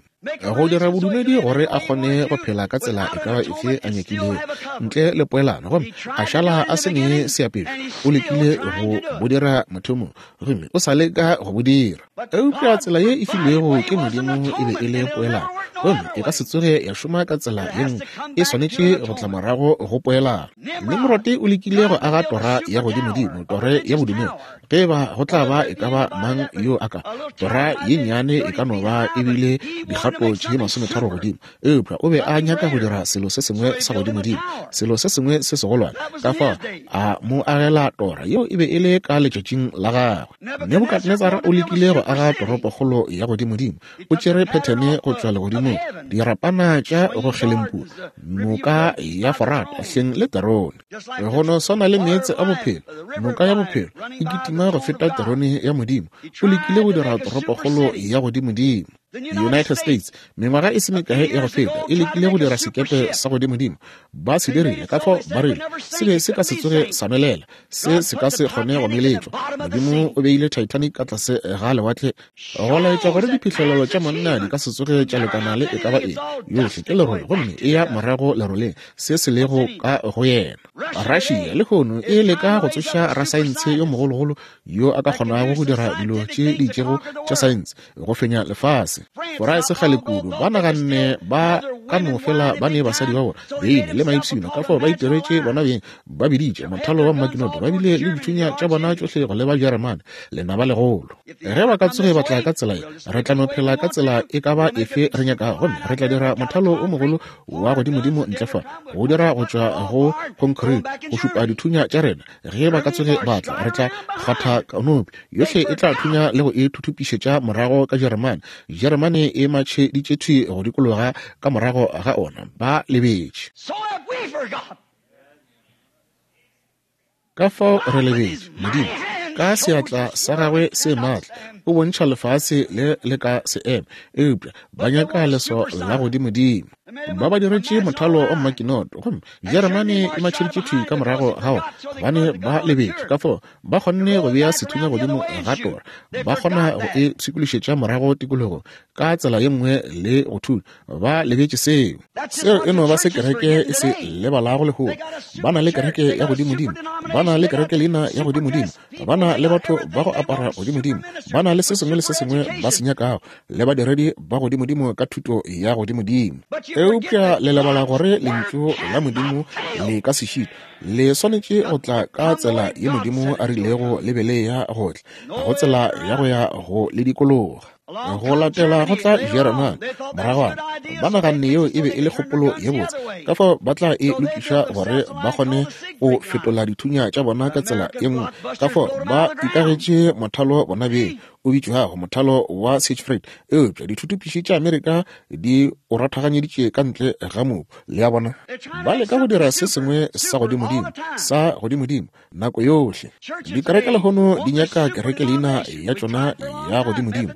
Go dira bodumedi gore a kgone go phela ka tsela e ka ba efe a nyakilego ntle le poelano, gomme a šala a se ne seapešo. O lekile go bo dira mathomong, gomme o sa leka go bo dira. Eupša tsela ye e filwego ke Modimo e be e le poelano, gomme e ka se tsoge ya šoma ka tsela ye nngwe, e swanetše go tla morago go poelano. Nimrod o lekile go aga tora ya godimodimo, tore ya bodumedi. Ge ba go tla ba e ka ba mang yo a ka, tora ye nnyane e ka no ba e bile dikgato tše masometharo godimo, eupša o be a nyaka go dira selo se sengwe sa godimodimo, selo se sengwe se segolwane. Ka fao a mo agela tora yeo e be e le ka letšatšing la gagwe. Nebukadnetsara o lekile go aga toropokgolo ya godimodimo. O tšere phethene go tšwa legodimong, dirapana tša go kgelempua, noka ya Forata hleng le terone. Go no swana le meetse a bophelo, noka ya bophelo e kitima go feta terone ya Modimo. O lekile go dira toropokgolo ya godimodimo. United States mengwaga e se mekae ya go feta e lekile go dira sekepe sa godimodimo. Ba se dirile, ka fao ba rile se be se ka se tsoge sa nwelela, se se ka se kgone go meletšwa. Modimo o beile Titanic ka tlase ga lewatle go laetša gore diphihlelelo tša monna di ka se tsoge tša lekana le e ka ba eng. Yohle ke lerole, gomme e ya morago leroleng, se se lego ka go yena. Russia lehono e leka go tsoša rasaense yo mogologolo yo a ka kgonago go dira dilo tše di itšego tša saense go fenya lefase. Fora e se kgale kudu ba naganne ba ka no fela ba ne basadi ba bona beine le maipshino, ka fao ba itiretše bona beng, ba biditše mothalo wa mmakinoto, ba bile le dithunya tša bona tšohle go leba Jeremane, lenaba legolo. Ge ba ka tsoge ba tla ka tsela ye, re tla no phela ka tsela e ka ba efe re nyakago, gomme re tla dira mothalo o mogolo wa godimodimo ntle fa, go dira go tšwa go concrete go šupa dithunya tša rena. Ge ba ka tsoge ba tla, re tla kgwatha konopi yohle, e tla thunya le go e thuthupišetša morago ka Jeremane. Jeremane e matšheditše thwi go dikologa ka morago ga ona, ba lebetše. Ka fao re lebetše Modimo ka seatla sa gagwe se maatla o bontšha lefase le le ka se eme, eupša ba nyaka leso la godimodimo. Ba ba diretše mothalo wa mmakinoto, gomme Jeremane e matšheditše thwi ka morago ga ona, gobane ba lebetše. Ka fao ba kgonne go bea sethunya godimo ga tora, ba kgona go e pshikološetša morago tikologong ka tsela ye nngwe le go thunya. Ba lebetše seo. Seo e no ba se kereke e se lebalago lehono. Ba na le kereke ya godimodimo, ba na le kereke leina ya godimodimo, ba na le batho ba go apara godimodimo, ba na le se sengwe le se sengwe ba se nyakago, le badiredi ba godimodimo ka thuto ya godimodimo. Eupša le lebala gore lentšu la Modimo le ka se šitwe, le swanetše go tla ka tsela ye Modimo a rilego le be le ya go tla, go tsela ya go ya go le dikologa. Go latela go tla Jeremane moragwana, ba naganne yeo e be e le kgopolo ye botse, ka fao ba tla e lokiša gore ba kgone go fetola dithunya tša bona ka tsela ye nngwe. Ka fao ba ikagetše mothalo bona beng o bitšwago mothalo wa Siegfried, eupša dithuthupiši tša Amerika di o rathaganyeditše ka ntle ga mobu. Le a bona, ba leka go dira se sengwe sa godimodimo, sa godimodimo nako yohle. Dikereke lehono di nyaka kereke leina ya tšona ya godimodimo.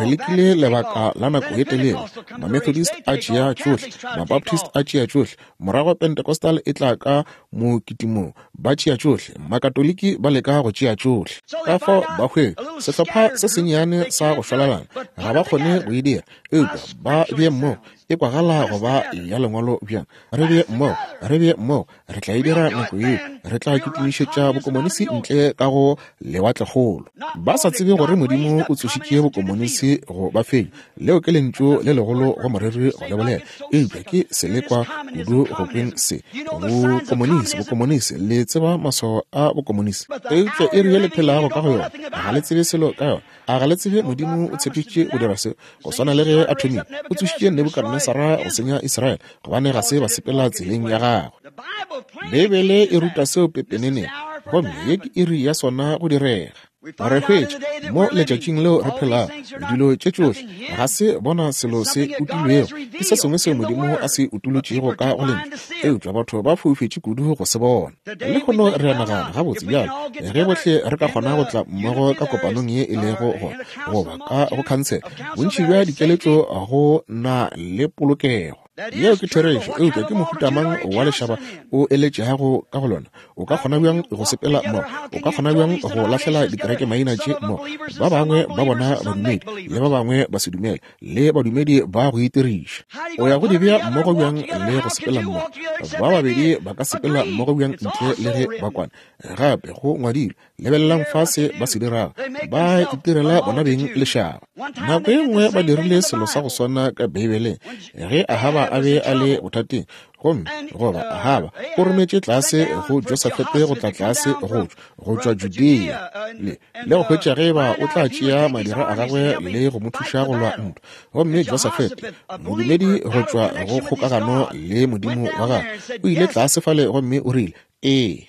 Re lekile lebaka la nako ye telele, Mamethodist a tšea tšohle, Mabaptist a tšea tšohle, morago Pentecostal e tla ka mokitimong, ba tšea tšohle, Makatoliki ba leka go tšea tšohle. Ka fao ba hwetša sehlopha se sennyane sa go šwalalana, ga ba kgone go e dira, eupša ba bee mmogo. E kwagala go ba ya lengwalo bjang? Re bee mmogo, re bee mmogo, re tla e dira nako yeo, Re tla kitimišetša bokomonisi ntle ka go lewatlekgolo. Ba sa tsebe gore Modimo o tsošitše bokomonisi go ba fenya. Leo ke lentšu le legolo go moreri go le bolela, eupša ke selekwa kudu go kweng se. Bokomonisi, bokomonisi, le tseba maswao a bokomonisi, eupša iri ye le phelago ka go yona ga le tsebe selo ka yona. A ga le tsebe Modimo o tshepišitše go dira se? Go swana le ge a thomile, o tsošitše Nebukadnesara go senya Israele, gobane ga se ba sepela tseleng ya gagwe. Beibele e ruta seo pepeneneng, gomme ye ke iri ya sona go direga. Re hwetša mo letšatšing leo re phelago dilo tše tšohle ga se bona selo se utilwego, ke se sengwe seo Modimo a se utolotšego ka go lentšu, eupša batho ba foufetše kudu go se bona. Lehono re a nagana gabotse bjalo ge bohle re ka kgona go tla mmogo ka kopanong ye e lego gona goba ka go khansele, bontši bja dikeletšo go na le polokego. Yeo ke therešo, eupša ke mohuta mang wa lešaba o eletšegago ka go lona? O ka kgona bjang go sepela mmogo? O ka kgona bjang go lahlela dikereke maina tše mmogo? Ba bangwe ba bona badumedi le ba bangwe ba se dumele, le badumedi ba go itiriša. O ya go di bea mmogo bjang le go sepela mmogo? Ba babedi ba ka sepela mmogo bjang ntle le ge ba kwana? Gape go ngwadilwe, lebelelang fase ba se dirago, ba itirela bona beng lešaba. Nako ye nngwe ba dirile selo sa go swana ka Beibeleng ge Ahaba a be a le bothateng, gomme goba Ahaba o rometše tlase go Josafete go tla tlase go go tšwa Judea le le go hwetša ge ba o tla tšea madira a gagwe le go mo thuša go lwa ntwa. Gomme Josafete, modumedi go tšwa go kgokagano le Modimo wa gagwe, o ile tlase fale gomme o rile, ee,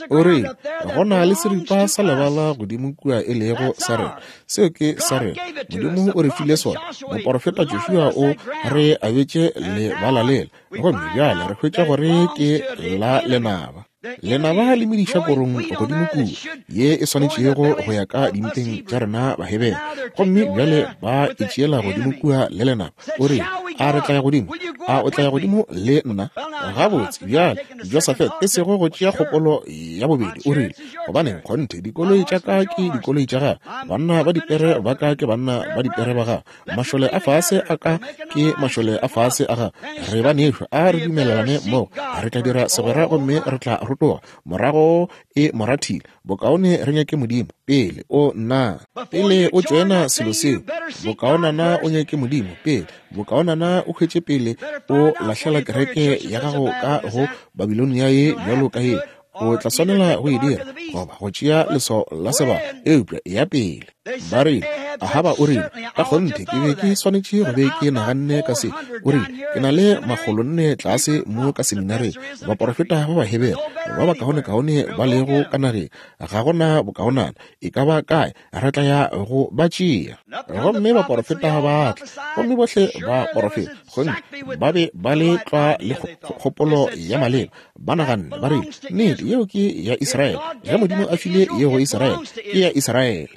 o rile, go na le seripa sa lebala godimo kua e lego sa rena. Seo ke sa rena. Modimo o re file sona. Moporofeta Joshua o re abetše lebala lela, gomme bjale re hwetša gore ke la lenaba. Lenaba le mediša korong godimo kua ye e swanetšego go ya ka dimpeng tša rena Bahebere, gomme bjale ba e tšeela godimo kua le lenaba. O rile, a re tla ya godimo? A o tla ya godimo le nna? Gabotse bjale Josafete, e sego go tšea kgopolo ya bobedi, o rile, gobane kgonthe dikoloi tša ka ke dikoloi tša gago, banna ba dipere ba ka ke banna ba dipere ba gago, mašole a fase a ka ke mašole a fase a gago. Re ba nešwa, a re dumelelane mmogo, re tla dira segwera gomme re tla rotoga. Morago e morathile, bokaone re nyake Modimo pele o nna, pele o tšoena selo seo. Bokaonana o nyake Modimo pele, bokaonana o hwetše pele o lahlela kereke ya gago ka go Babilonia ye bjalo ka ye. O tla swanela go e dira goba go tšea leswao la sebaka, eupša ya pele. Ba rile, Ahaba o rile, ka kgonthe ke be ke swanetše go be ke naganne ka se. O rile, ke na le makgolonne tlase mo ka seminareng, baporofeta ba Bahebere ba bakaonekaone ba lego ka nageng, ga gona bokaonana e ka ba kae, re tla ya go ba tšea. Gomme baporofeta ba tla, gomme bohle ba porofeta, gomme ba be ba le tlwa le kgopolo ya maleba. Ba naganne, ba rile, nnete yeo ke ya Israele. Ge Modimo a file yeo go Israele, ke ya Israele.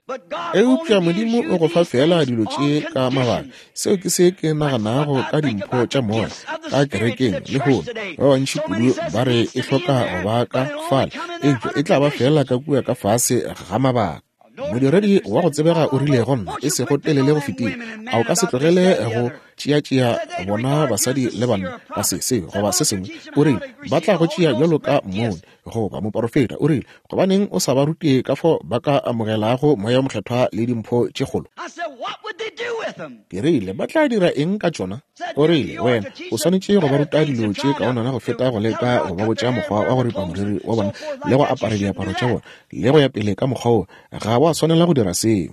Eupša Modimo o go fa fela dilo tše ka mabaka. Seo ke se ke naganago ka dimpho tša moya ka kerekeng lehono. Ba bantši kudu ba re e hloka go ba ka fale, eupša e tla ba fela ka kua ka fase ga mabaka. Modiredi wa go tsebega o rile go nna e sego telele go fetile, a o ka se tlogele go tšeatšea bona basadi le banna ka se se goba se sengwe? O rile, ba tla go tšea bjalo ka mmoni goba moporofeta. O rile, gobaneng o sa ba rute ka fao ba ka amogelago moya o mokgethwa le dimpho tše kgolo? Ke rile, ba tla dira eng ka tšona? O rile, wena o swanetše go ba ruta dilo tše kaonana go feta go leka go ba botša mokgwa wa go ripa moriri wa bona le go apara diaparo tša bona le go ya pele ka mokgwa wo. Ga wa swanela go dira seo.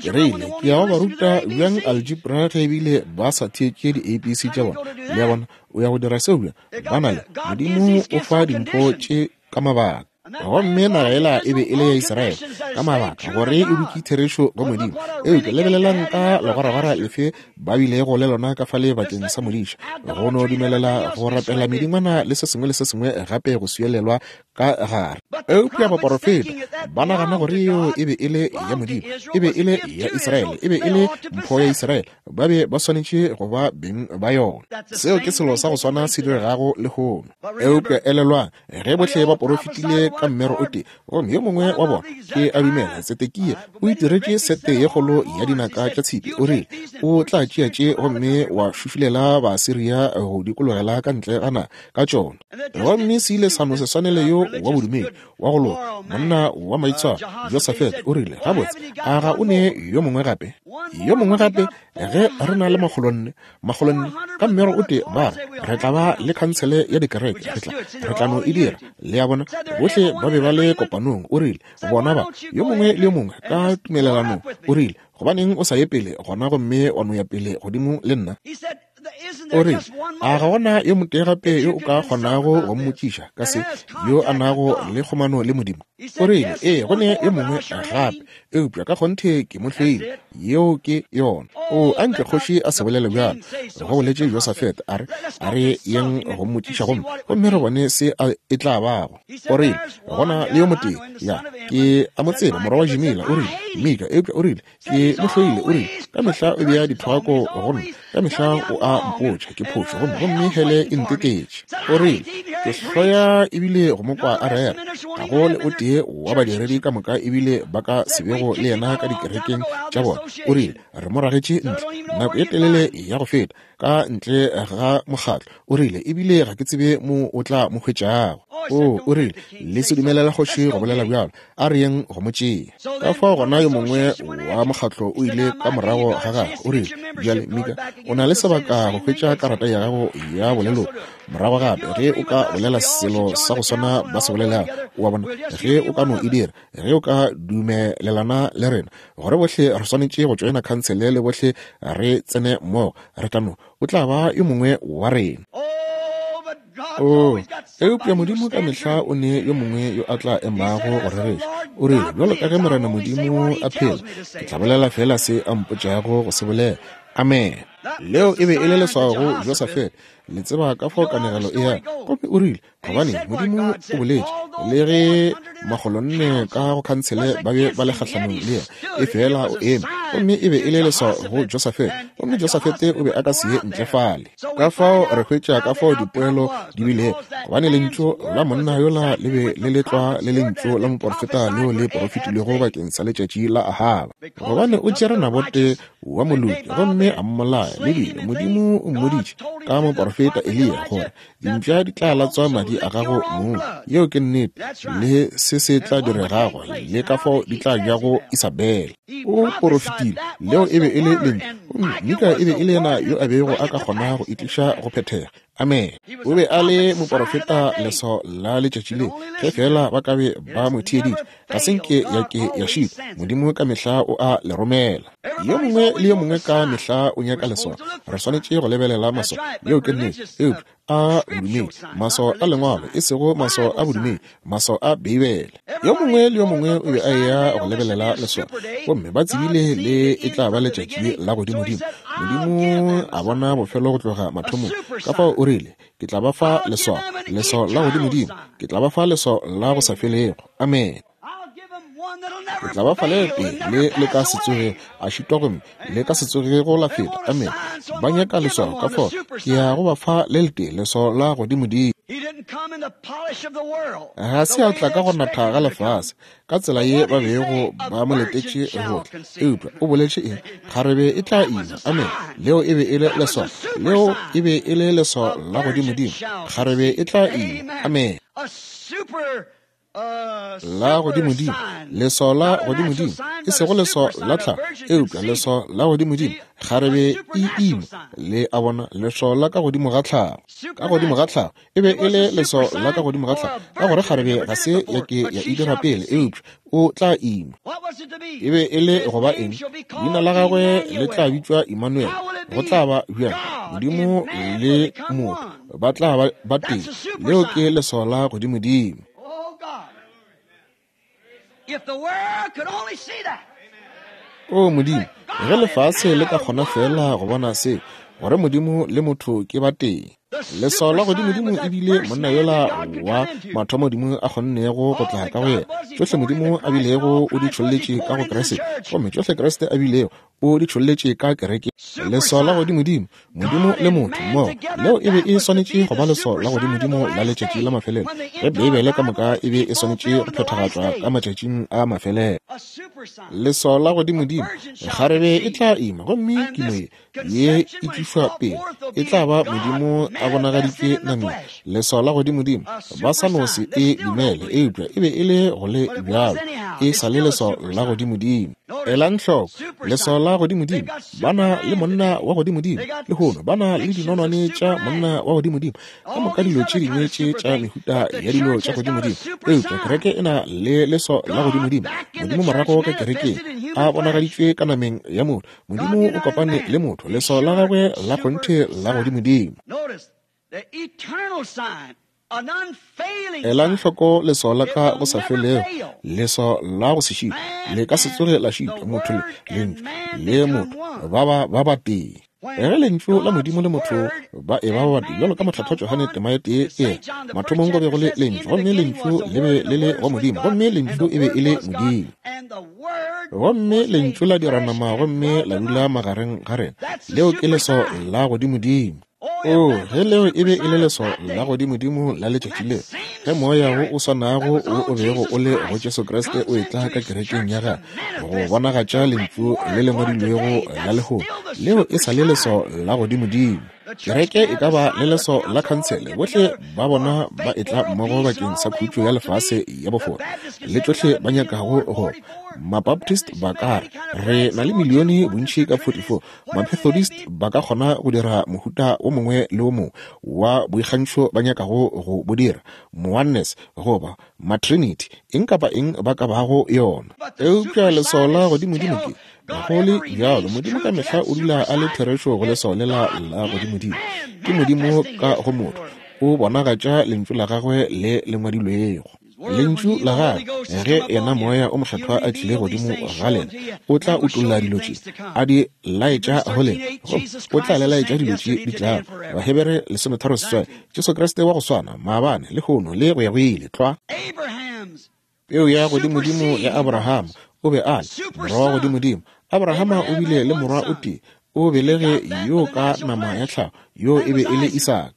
Ke rile, ke ya go ba ruta bjang algebra ge ebile ba sa theetše di-A B C tša bona? Le a bona, o ya go dira seo bjang? Ba na le Modimo o fa dimpho tše ka mabaka. Gomme naga ela e be e le ya Israele ka mabaka gore e dutše therešo go Modimo. Eupša lebelelang ka legwaragwara lefe ba bilego le lona ka fale bakeng sa modiša, go no dumelela go rapela medingwana le se sengwe le se sengwe gape go swielelwa ka gare. Eupša baporofeta ba nagana gore yeo e be e le ya Modimo, e be e le ya Israele, e be e le mpho ya Israele, ba be ba swanetše go ba beng ba yona. Seo ke selo sa go swana se diregago lehono. Eupša elelwang, ge bohle ba porofetile ka mmero o tee, gomme yo mongwe wa bona ke a dumela Tsedekia o itiretše sete ye kgolo ya dinaka tša tshipi. O rile, o tla tšea tše gomme wa šušulela Baasiria go dikologela ka ntle ga naga ka tšona. Gomme se ile sa no se swanele yo wa bodumedi wa go loka, monna wa maitshwaro, Josafete. O rile, gabotse, a ga o ne yo mongwe gape? Yo mongwe gape, ge re na le makgolonne, makgolonne ka mmero o tee, ba re re tla ba le khansele ya dikereke, re tla re tla no e dira. Le a bona, bohle ba be ba le kopanong. O rile, bona ba, yo mongwe le yo mongwe ka tumelelanong. O rile, gobaneng o sa ye pele gona gomme wa no ya pele godimo le nna? O rile, a ga gona yo motee gape yo o ka kgonago go mmotšiša ka se, yo a nago le kgomano le Modimo? O rile, ee, go ne yo mongwe gape, eupša ka kgonthe ke mo hloile. Yeo ke yona. O a nke kgoši a se bolele bjalo, go boletše Josafete, a re, a re yeng go mmotšiša gomme gomme re bone se a e tla bago. O rile, gona le yo motee, ya, ke a mo tseba, morwa wa Jimila. O rile, Mika, eupša o rile, ke mo hloile. O rile, ka mehla o bea dithwako go nna, ka mehla o a mpotša ke phošo, gomme gomme hele e ntetetše. O rile, ke hloya ebile go mo kwa a rera. Ga go le o tee wa badiredi ka moka ebile ba ka se bego le yena ka dikerekeng tša bona. O rile, re mo ragetše ntle nako ye telele ya go feta, ka ntle ga mokgatlo. O rile, ebile ga ke tsebe mo o tla mo hwetšago. O, o rile, le se dumelela kgoši go bolela bjalo, a re yeng go mo tšea. Ka fao gona yo mongwe wa mokgatlo o ile ka morago ga gagwe. O rile, bjale Mika, o na le sebaka go hwetša karata ya gago ya boleloko morago gape, ge o ka bolela selo sa go swana ba se bolelago. O a bona, ge o ka no e dira, ge o ka dumelelana le rena gore bohle re swanetše go tšoena khansele le bohle re tsene mmogo, re tla no, o tla ba yo mongwe wa rena. O, eupša Modimo ka mehla o ne yo mongwe yo a tla emago go rereša. O rile, bjalo ka ge Morena Modimo a phela, ke tla bolela fela se a mpotšago go se bolela. Amen. Leo e be e le leswao go Josafete. Le tseba ka fao kanegelo e ya. Gomme o rile, gobane Modimo o boletše, le ge makgolonne ka go khansele ba be ba le kgahlanong le yena, e fela o eme. Gomme e be e le leswao go Josafete. Gomme Josafete o be a ka se ye ntle fale. Ka fao re hwetša ka fao dipoelo di bilego, gobane lentšu la monna yola le be le letlwa le lentšu la moporofeta leo le porofetilwego bakeng sa letšatši la Ahaba. Gobane o tšere Nabote wa moloki gomme a mmolaya, le bile Modimo o mmoditše ka moporofeta Eliya gore dimpša di tla latswa madi a gago mong. Yeo ke nnete, le se se tla diregago, le ka fao di tla jago Isabele. O porofetile, leo e be e le lentšu, gomme Mika e be e le yena yo a bego a ka kgona go itliša go phethega. Amen. O be a le moporofeta leswao la letšatši le, ge fela ba ka be ba mo theeditše, ga se nke ya ke ya šitwa. Modimo ka mehla o a le romela. Yo mongwe le yo mongwe ka mehla o nyaka leswao. Re swanetše go lebelela maswao. Yeo ke nnete. Eupša a bodumedi, maswao a lengwalo, e sego maswao a bodumedi, maswao a Beibele. Yo mongwe le yo mongwe o be a eya go lebelela leswao, gomme ba tsebile le e tla ba letšatši la godimodimo. Modimo a bona bofelo go tloga mathomong. Ka fao o rile, ke tla ba fa leswao, leswao la godimodimo, ke tla ba fa leswao la go sa felego. Amen. Ke tla ba fa le tee le le ka se tsoge a šitwa gomme le ka se tsogego la feta. Amen. Ba nyaka leswao, ka fao ke ya go ba fa le letee, leswao la godimodimo. Ga se a tla ka go natha ga lefase ka tsela ye ba bego ba mo letetše go tla, eupša o boletše eng? Kgarebe e tla ima. Amen. Leo e be e le leswao, leo e be e le leswao la godimodimo. Kgarebe e tla ima. Amen. La godimodimo, leswao la godimodimo, e sego leswao la tlhago, eupša leswao la godimodimo. Kgarebe e ima, le a bona, leswao la ka godimo ga tlhago. Ka godimo ga tlhago e be e le leswao la ka godimo ga tlhago, ka gore kgarebe ga se ya ke ya e dira pele, eupša o tla ima. E be e le go ba eng? Leina la gagwe le tla bitšwa Emmanuel. Go tla ba bjang? Modimo le motho ba tla ba ba tee. Leo ke leswao la godimodimo. O Modimo, ge lefase le ka kgona fela go bona se, gore Modimo le motho ke ba tee. Leswao la godimodimo e bile monna yola wa mathomo Modimo a kgonnego go tla ka go yena. Tšohle Modimo a bilego o di tšholletše ka go Kriste, gomme tšohle Kriste a bilego o di tšholletše ka kereke. Leswao la godimodimo, Modimo le motho mmogo, leo e be e swanetše go ba leswao la godimodimo la letšatši la mafelelo, ge Beibele ka moka e be e swanetše go phethagatšwa ka matšatšing a mafelelo. Leswao la godimodimo, kgarebe e tla ima, gomme kimo ye ye e tlišwa pele e tla ba Modimo a bonagaditšwe nameng. Leswao la godimodimo, ba sa no se e dumele, eupša e be e le go le bjalo, e sa le leswao la godimodimo. Elang hloko, leswao la godimodimo, ba na le monna wa godimodimo lehono, ba na le dinonwane tša monna wa godimodimo, ka moka dilo tše dingwe tše tša mehuta ya dilo tša godimodimo, eupša kereke e na le leswao la godimodimo. Modimo morago ka kerekeng a bonagaditšwe ka nameng ya motho. Modimo o kopane le motho, leswao la gagwe la kgonthe la godimodimo. Elang hloko leswao la ka go sa felego, leswao la go se šitwe, le ka se tsoge la šitwa. Motho le lentšu le motho ba ba ba batee. Ge lentšu la Modimo le motho ba e ba ba batee, bjalo ka Mohlathwa Johane tema e tee e mathomong go be go le lentšu, gomme lentšu le be le le go Modimo, gomme lentšu e be e le Modimo. Gomme lentšu la dira nama gomme la dula magareng ga rena. Leo ke leswao la godimodimo. O, ge leo e be e le leswao la godimodimo la letšatši leo, ge moya wo o swanago wo o bego o le go Jesu Kriste o etla ka kerekeng ya gagwe go bonagatša lentšu le le ngwadilwego la lehono, leo e sa le leswao la godimodimo. Kereke e ka ba le leswao la khansele, bohle ba bona ba etla mmogo bakeng sa khutšo ya lefase ya bofora le tšohle ba nyakago go. Mabaptist ba ka re re na le milione bontši ka forty-four. Mamethodist ba ka kgona go dira mohuta o mongwe le o mongwe wa boikgantšho ba nyakago go bo dira, Mooneness goba Matrinity, eng kapa eng ba ka bago yona. Eupša leswao la godimodimo ke go le bjalo, Modimo ka mehla o dula a le therešo go leswao lela la godimodimo. Ke Modimo ka go motho, o bonagatša lentšu la gagwe le le ngwadilwego. Lentšu la gagwe, ge yena moya o mokgethwa a tlile godimo ga lena, o tla utolla dilo tše a di laetša go lena, gomme o tla le laetša dilo tše di tlago. Bahebere lesometharo seswai, Jesu Kriste wa go swana maabane, lehono le go ya go ile. Tlwa peu ya godimodimo ya Abrahama, o be a le morwa wa godimodimo. Abrahama o bile le morwa o tee, o belege yo ka nama ya tlhago, yo e be e le Isaka.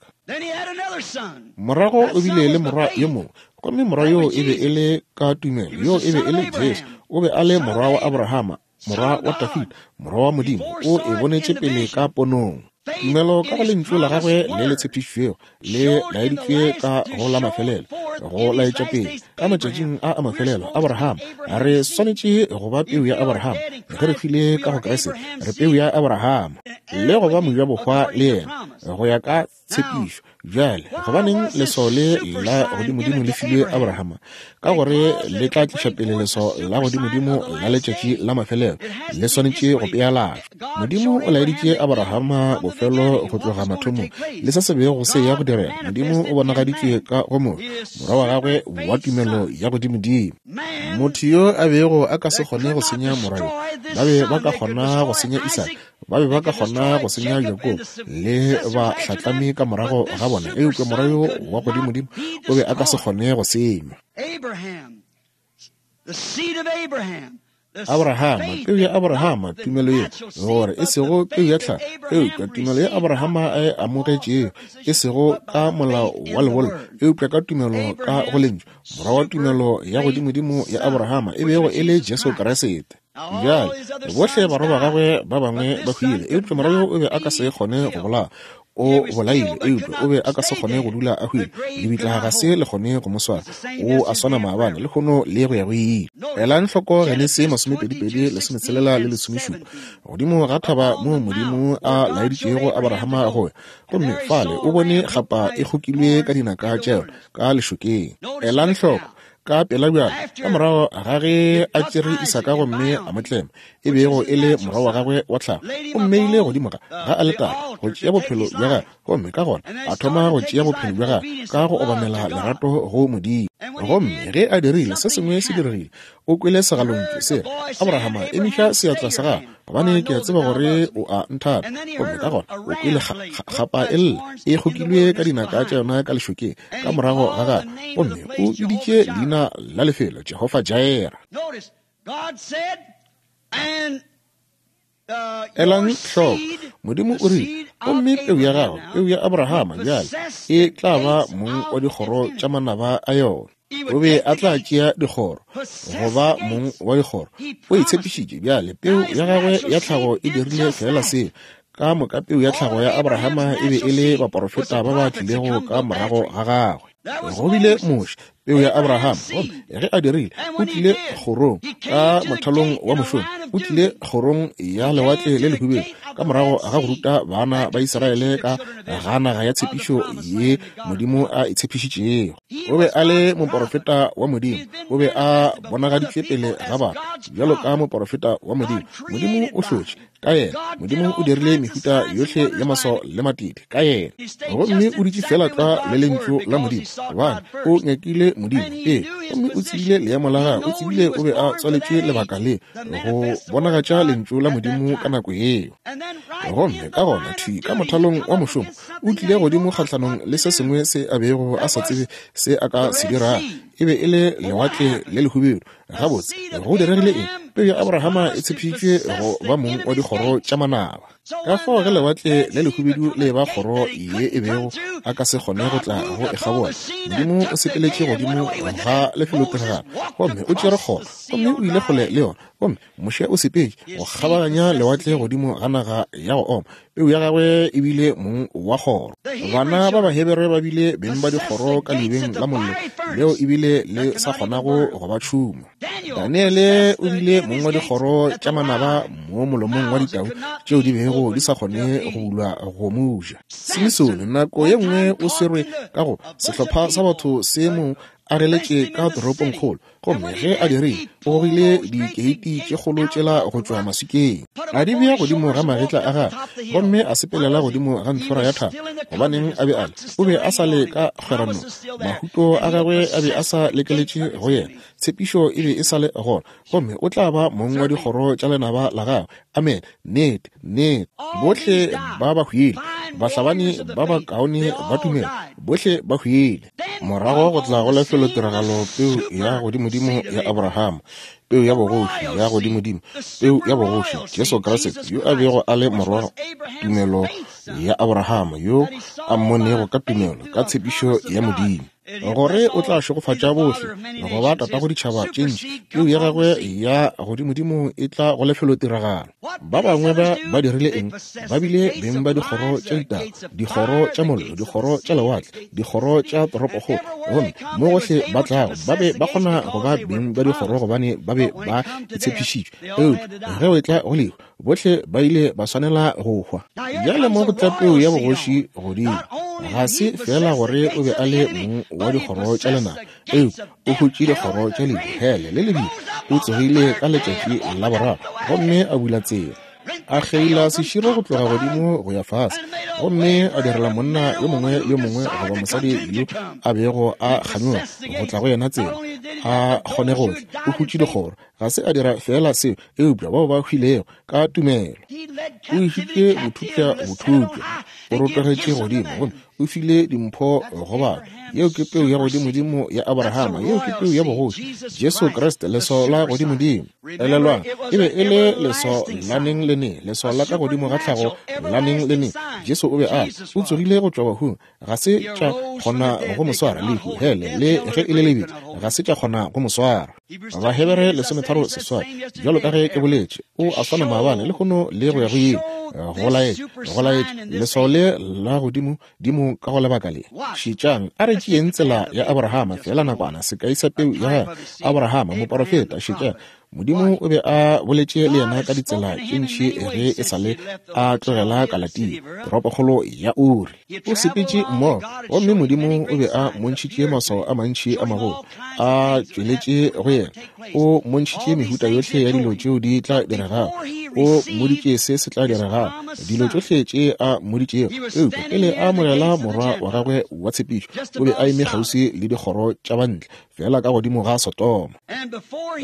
Morago o bile le morwa yo mongwe, gomme morwa yo e be e le ka tumelo, yo e be e le Jesu. O be a le morwa wa Abrahama, morwa wa Dafida, morwa wa Modimo. O e bonetše pele ka ponong. Tumelo ka go lentšu la gagwe le le tshepišitšwego le laeditšwe ka go la mafelelo, go laetša pele ka matšatšing a a mafelelo. Abrahama, re swanetše go ba peu ya Abrahama. Ge re hwile ka go Kriste, re peu ya Abrahama le go ba mojabohwa le yena go ya ka tshepišo. Bjale gobaneng leswao le la godimodimo le filwe Abrahama? Ka gore le tla tliša pele leswao la godimodimo la letšatši la mafelelo, le swanetše go pealatšwa. Modimo o laeditše Abrahama bofelo go tloga mathomong le se se bego se ya go direga. Modimo o bonagaditšwe ka go motho, morwa wa gagwe wa tumelo ya godimodimo. Motho yo a bego a ka se kgone go senya morwa yo, ba be ba ka kgona go senya Isaka, ba be ba ka kgona go senya Jakobo le bahlatlami ka morago ga bona, eupša morwa yo wa godimodimo o be a ka se kgone go senywa. Abrahama, peu ya Abrahama, tumelo ye, gore e sego peu ya tlhago, eupša tumelo ya Abrahama a e amogetšego, e sego ka molao wa lebollo, eupša ka tumelo ka go lentšu, morwa wa tumelo ya godimodimo ya Abrahama e bego e le Jesu Kriste. Bjale bohle barwa ba gagwe ba bangwe ba hwile, eupša morwa yo o be a ka se kgone go bolaya. O bolaile, eupša o be a ka se kgone go dula a hwile. Lebitla ga se le kgone go mo swara. O a swana maabane, lehono le go ya go ile. Elang hloko Genesi masomepedi-pedi, lesometshelela le lesomešupa, godimo ga thaba moo Modimo a laeditšego Abrahama go ya, gomme fale o bone kgapa e kgokilwe ka dinaka tša yona ka lešokeng. Elang hloko ka pela bjalo, ka morago ga ge a tšere Isaka gomme a mo tlema, e bego e le morwa wa gagwe wa tlhago, o mmeile godimo ga ga aletare go tšea bophelo bja gagwe, gomme ka gona a thoma go tšea bophelo bja gagwe ka go obamela lerato go Modimo. Gomme ge a dirile, se sengwe se diregile. O kwele segalontšu se re, Abrahama, emiša seatla sa gago, gobane ke a tseba gore o a nthata. Gomme ka gona o kwele kgapa e lla, e kgokilwe ka dinaka tša yona ka lešokeng ka morago ga gagwe. Gomme o biditše leina la lefelo Jehofa Jireh. Elang hloko, Modimo o rile, gomme peu ya gago, peu ya Abrahama bjale, e tla ba mong wa dikgoro tša manaba a yona. O be a tla tšea dikgoro, go ba mong wa dikgoro. O e tshepišitše bjale, peu ya gagwe ya tlhago e dirile fela seo. Ka moka peu ya tlhago ya Abrahama e be e le baporofeta ba ba tlilego ka morago ga gagwe. Go bile Moshe, peu ya Abrahama, gomme ge a dirile, o tlile kgorong ka mothalong wa mošomo, o tlile kgorong ya lewatle le lehubedu ka morago ga go ruta bana ba Israele ka ga naga ya tshepišo ye Modimo a e tshepišitšego. O be a le moporofeta wa Modimo, o be a bonagaditšwe pele ga batho bjalo ka moporofeta wa Modimo. Modimo o hlotše ka yena, Modimo o dirile mehuta yohle ya maswao le matete ka yena, gomme o dutše fela tlwa le lentšu la Modimo, gobane o nyakile Modimo pele, gomme o tsebile leemo la gagwe, o tsebile o be a tswaletšwe lebaka le go bonagatša lentšu la Modimo ka nako yeo. Gomme ka gona thwi ka mothalong wa mošomo o tlile godimo kgahlanong le se sengwe se a bego a sa tsebe se a ka se dirago. E be e le lewatle le lehubedu. Gabotse, go diregile eng? Peu ya Abrahama e tshepišitšwe go ba mong wa dikgoro tša manaba. Ka fao ge lewatle le lehubedu le ba kgoro ye e bego a ka se kgone go tla go e kgabola, Modimo o sepeletše godimo ga lefelotiragalo gomme o tšere kgoro, gomme o ile kgole le yona. Gomme Moshe o sepetše go kgabaganya lewatle godimo ga naga ya go oma. Peu ya gagwe e bile mong wa kgoro. Bana ba Bahebere ba bile beng ba dikgoro ka leubeng la mollo leo ebile le sa kgonago go ba tšhuma. Daniele o bile mong wa dikgoro tša manaba mo molomong wa ditau tšeo di bego di sa kgone go bulwa go mo ja. Simisone nako ye nngwe o swerwe ka go sehlopha sa batho se mo ageletše ka toropongkgolo, gomme ge a dirile, o gogile dikeiti tše kgolo tšela go tšwa maswikeng, a di bea godimo ga magetla a gagwe, gomme a sepelela godimo ga ntlhora ya thaba. Gobaneng a be a le? O be a sa le ka kgweranong, mahuto a gagwe a be a sa lekeletše go yena, tshepišo e be e sa le gona, gomme o tla ba mong wa dikgoro tša lenaba la gagwe. Amen. Nnete, nnete. Bohle ba ba hwile, bahlabani ba ba kaone ba tumelo, bohle ba hwile. Morago go tla go lefelotiragalo peu ya godimodimo ya Abrahama, peu ya bogoši ya godimodimo, peu ya bogoši Jesu Kriste, yo a bego a le morwa tumelo ya Abrahama, yo a mmonego ka tumelo ka tshepišo ya Modimo, gore o tla šegofatša bohle go ba tatago ditšhaba tše ntši. Peu ya gagwe ya godimodimo e tla go lefelotiragalo. Ba bangwe ba ba dirile eng? Ba bile beng ba dikgoro tša ditau, dikgoro tša mollo, dikgoro tša lewatle, dikgoro tša toropokgolo. Gomme mo gohle ba tlago ba be ba kgona go ba beng ba dikgoro gobane ba be ba itshepišitšwe. Eupša ge o etla go lehu, bohle ba ile ba swanela go hwa. Bjale mo go tla peu ya bogoši godimo. Ga se fela gore o be a le mong wa dikgoro tša lenaba, eupša o hutše dikgoro tša lehu, hele le lebitla. O tsogile ka letšatši la boraro gomme a bula tsela, a kgeila seširo go tloga godimo go ya fase, gomme a direla monna yo mongwe le yo mongwe goba mosadi yo a bego a kganyoga go tla go yena tsela a kgone go tla. O hutše dikgoro. Ga se a dira fela seo, eupša bao ba hwilego ka tumelo. O išitše bothupša bothupša, o rotogetše godimo gomme o file dimpho go batho. Yeo ke peu ya godimodimo ya Abrahama, yeo ke peu ya bogoši, Jesu Kriste, leswao la godimodimo. Elelwang, e be e le leswao la neng le neng, leswao la ka godimo ga tlhago la neng le neng. Jesu o be a o tsogile go tšwa bahung, ga se tša kgona go mo swara. Lehu, hele le ge e le lebitla, ga se tša kgona go mo swara. Bahebere lesometharo seswai, bjalo ka ge ke boletše, o a swana maabane le lehono le go ya go ile. Go laetša, go laetša leswao le la godimo dimo ka go lebaka le. Šetšang, a re tšeeng tsela ya Abrahama fela nakwana, sekai sa peu ya gagwe Abrahama moporofeta. Šetšang, Modimo o be a boletše le yena ka ditsela tše ntši ge e sa le a tlogela Kalatia, toropokgolo ya Uri. O sepetše mmogo, gomme Modimo o be a mmontšhitše maswao a mantši a magolo a tšweletše go yena. O mmontšhitše mehuta yohle ya dilo tšeo di tla diregago. O mmoditše se se tla diregago, dilo tšohle tše a mmoditšego. Eupša pele a amogela morwa wa gagwe wa tshepišo, o be a eme kgauswi le dikgoro tša bantle, fela ka godimo ga Sodoma.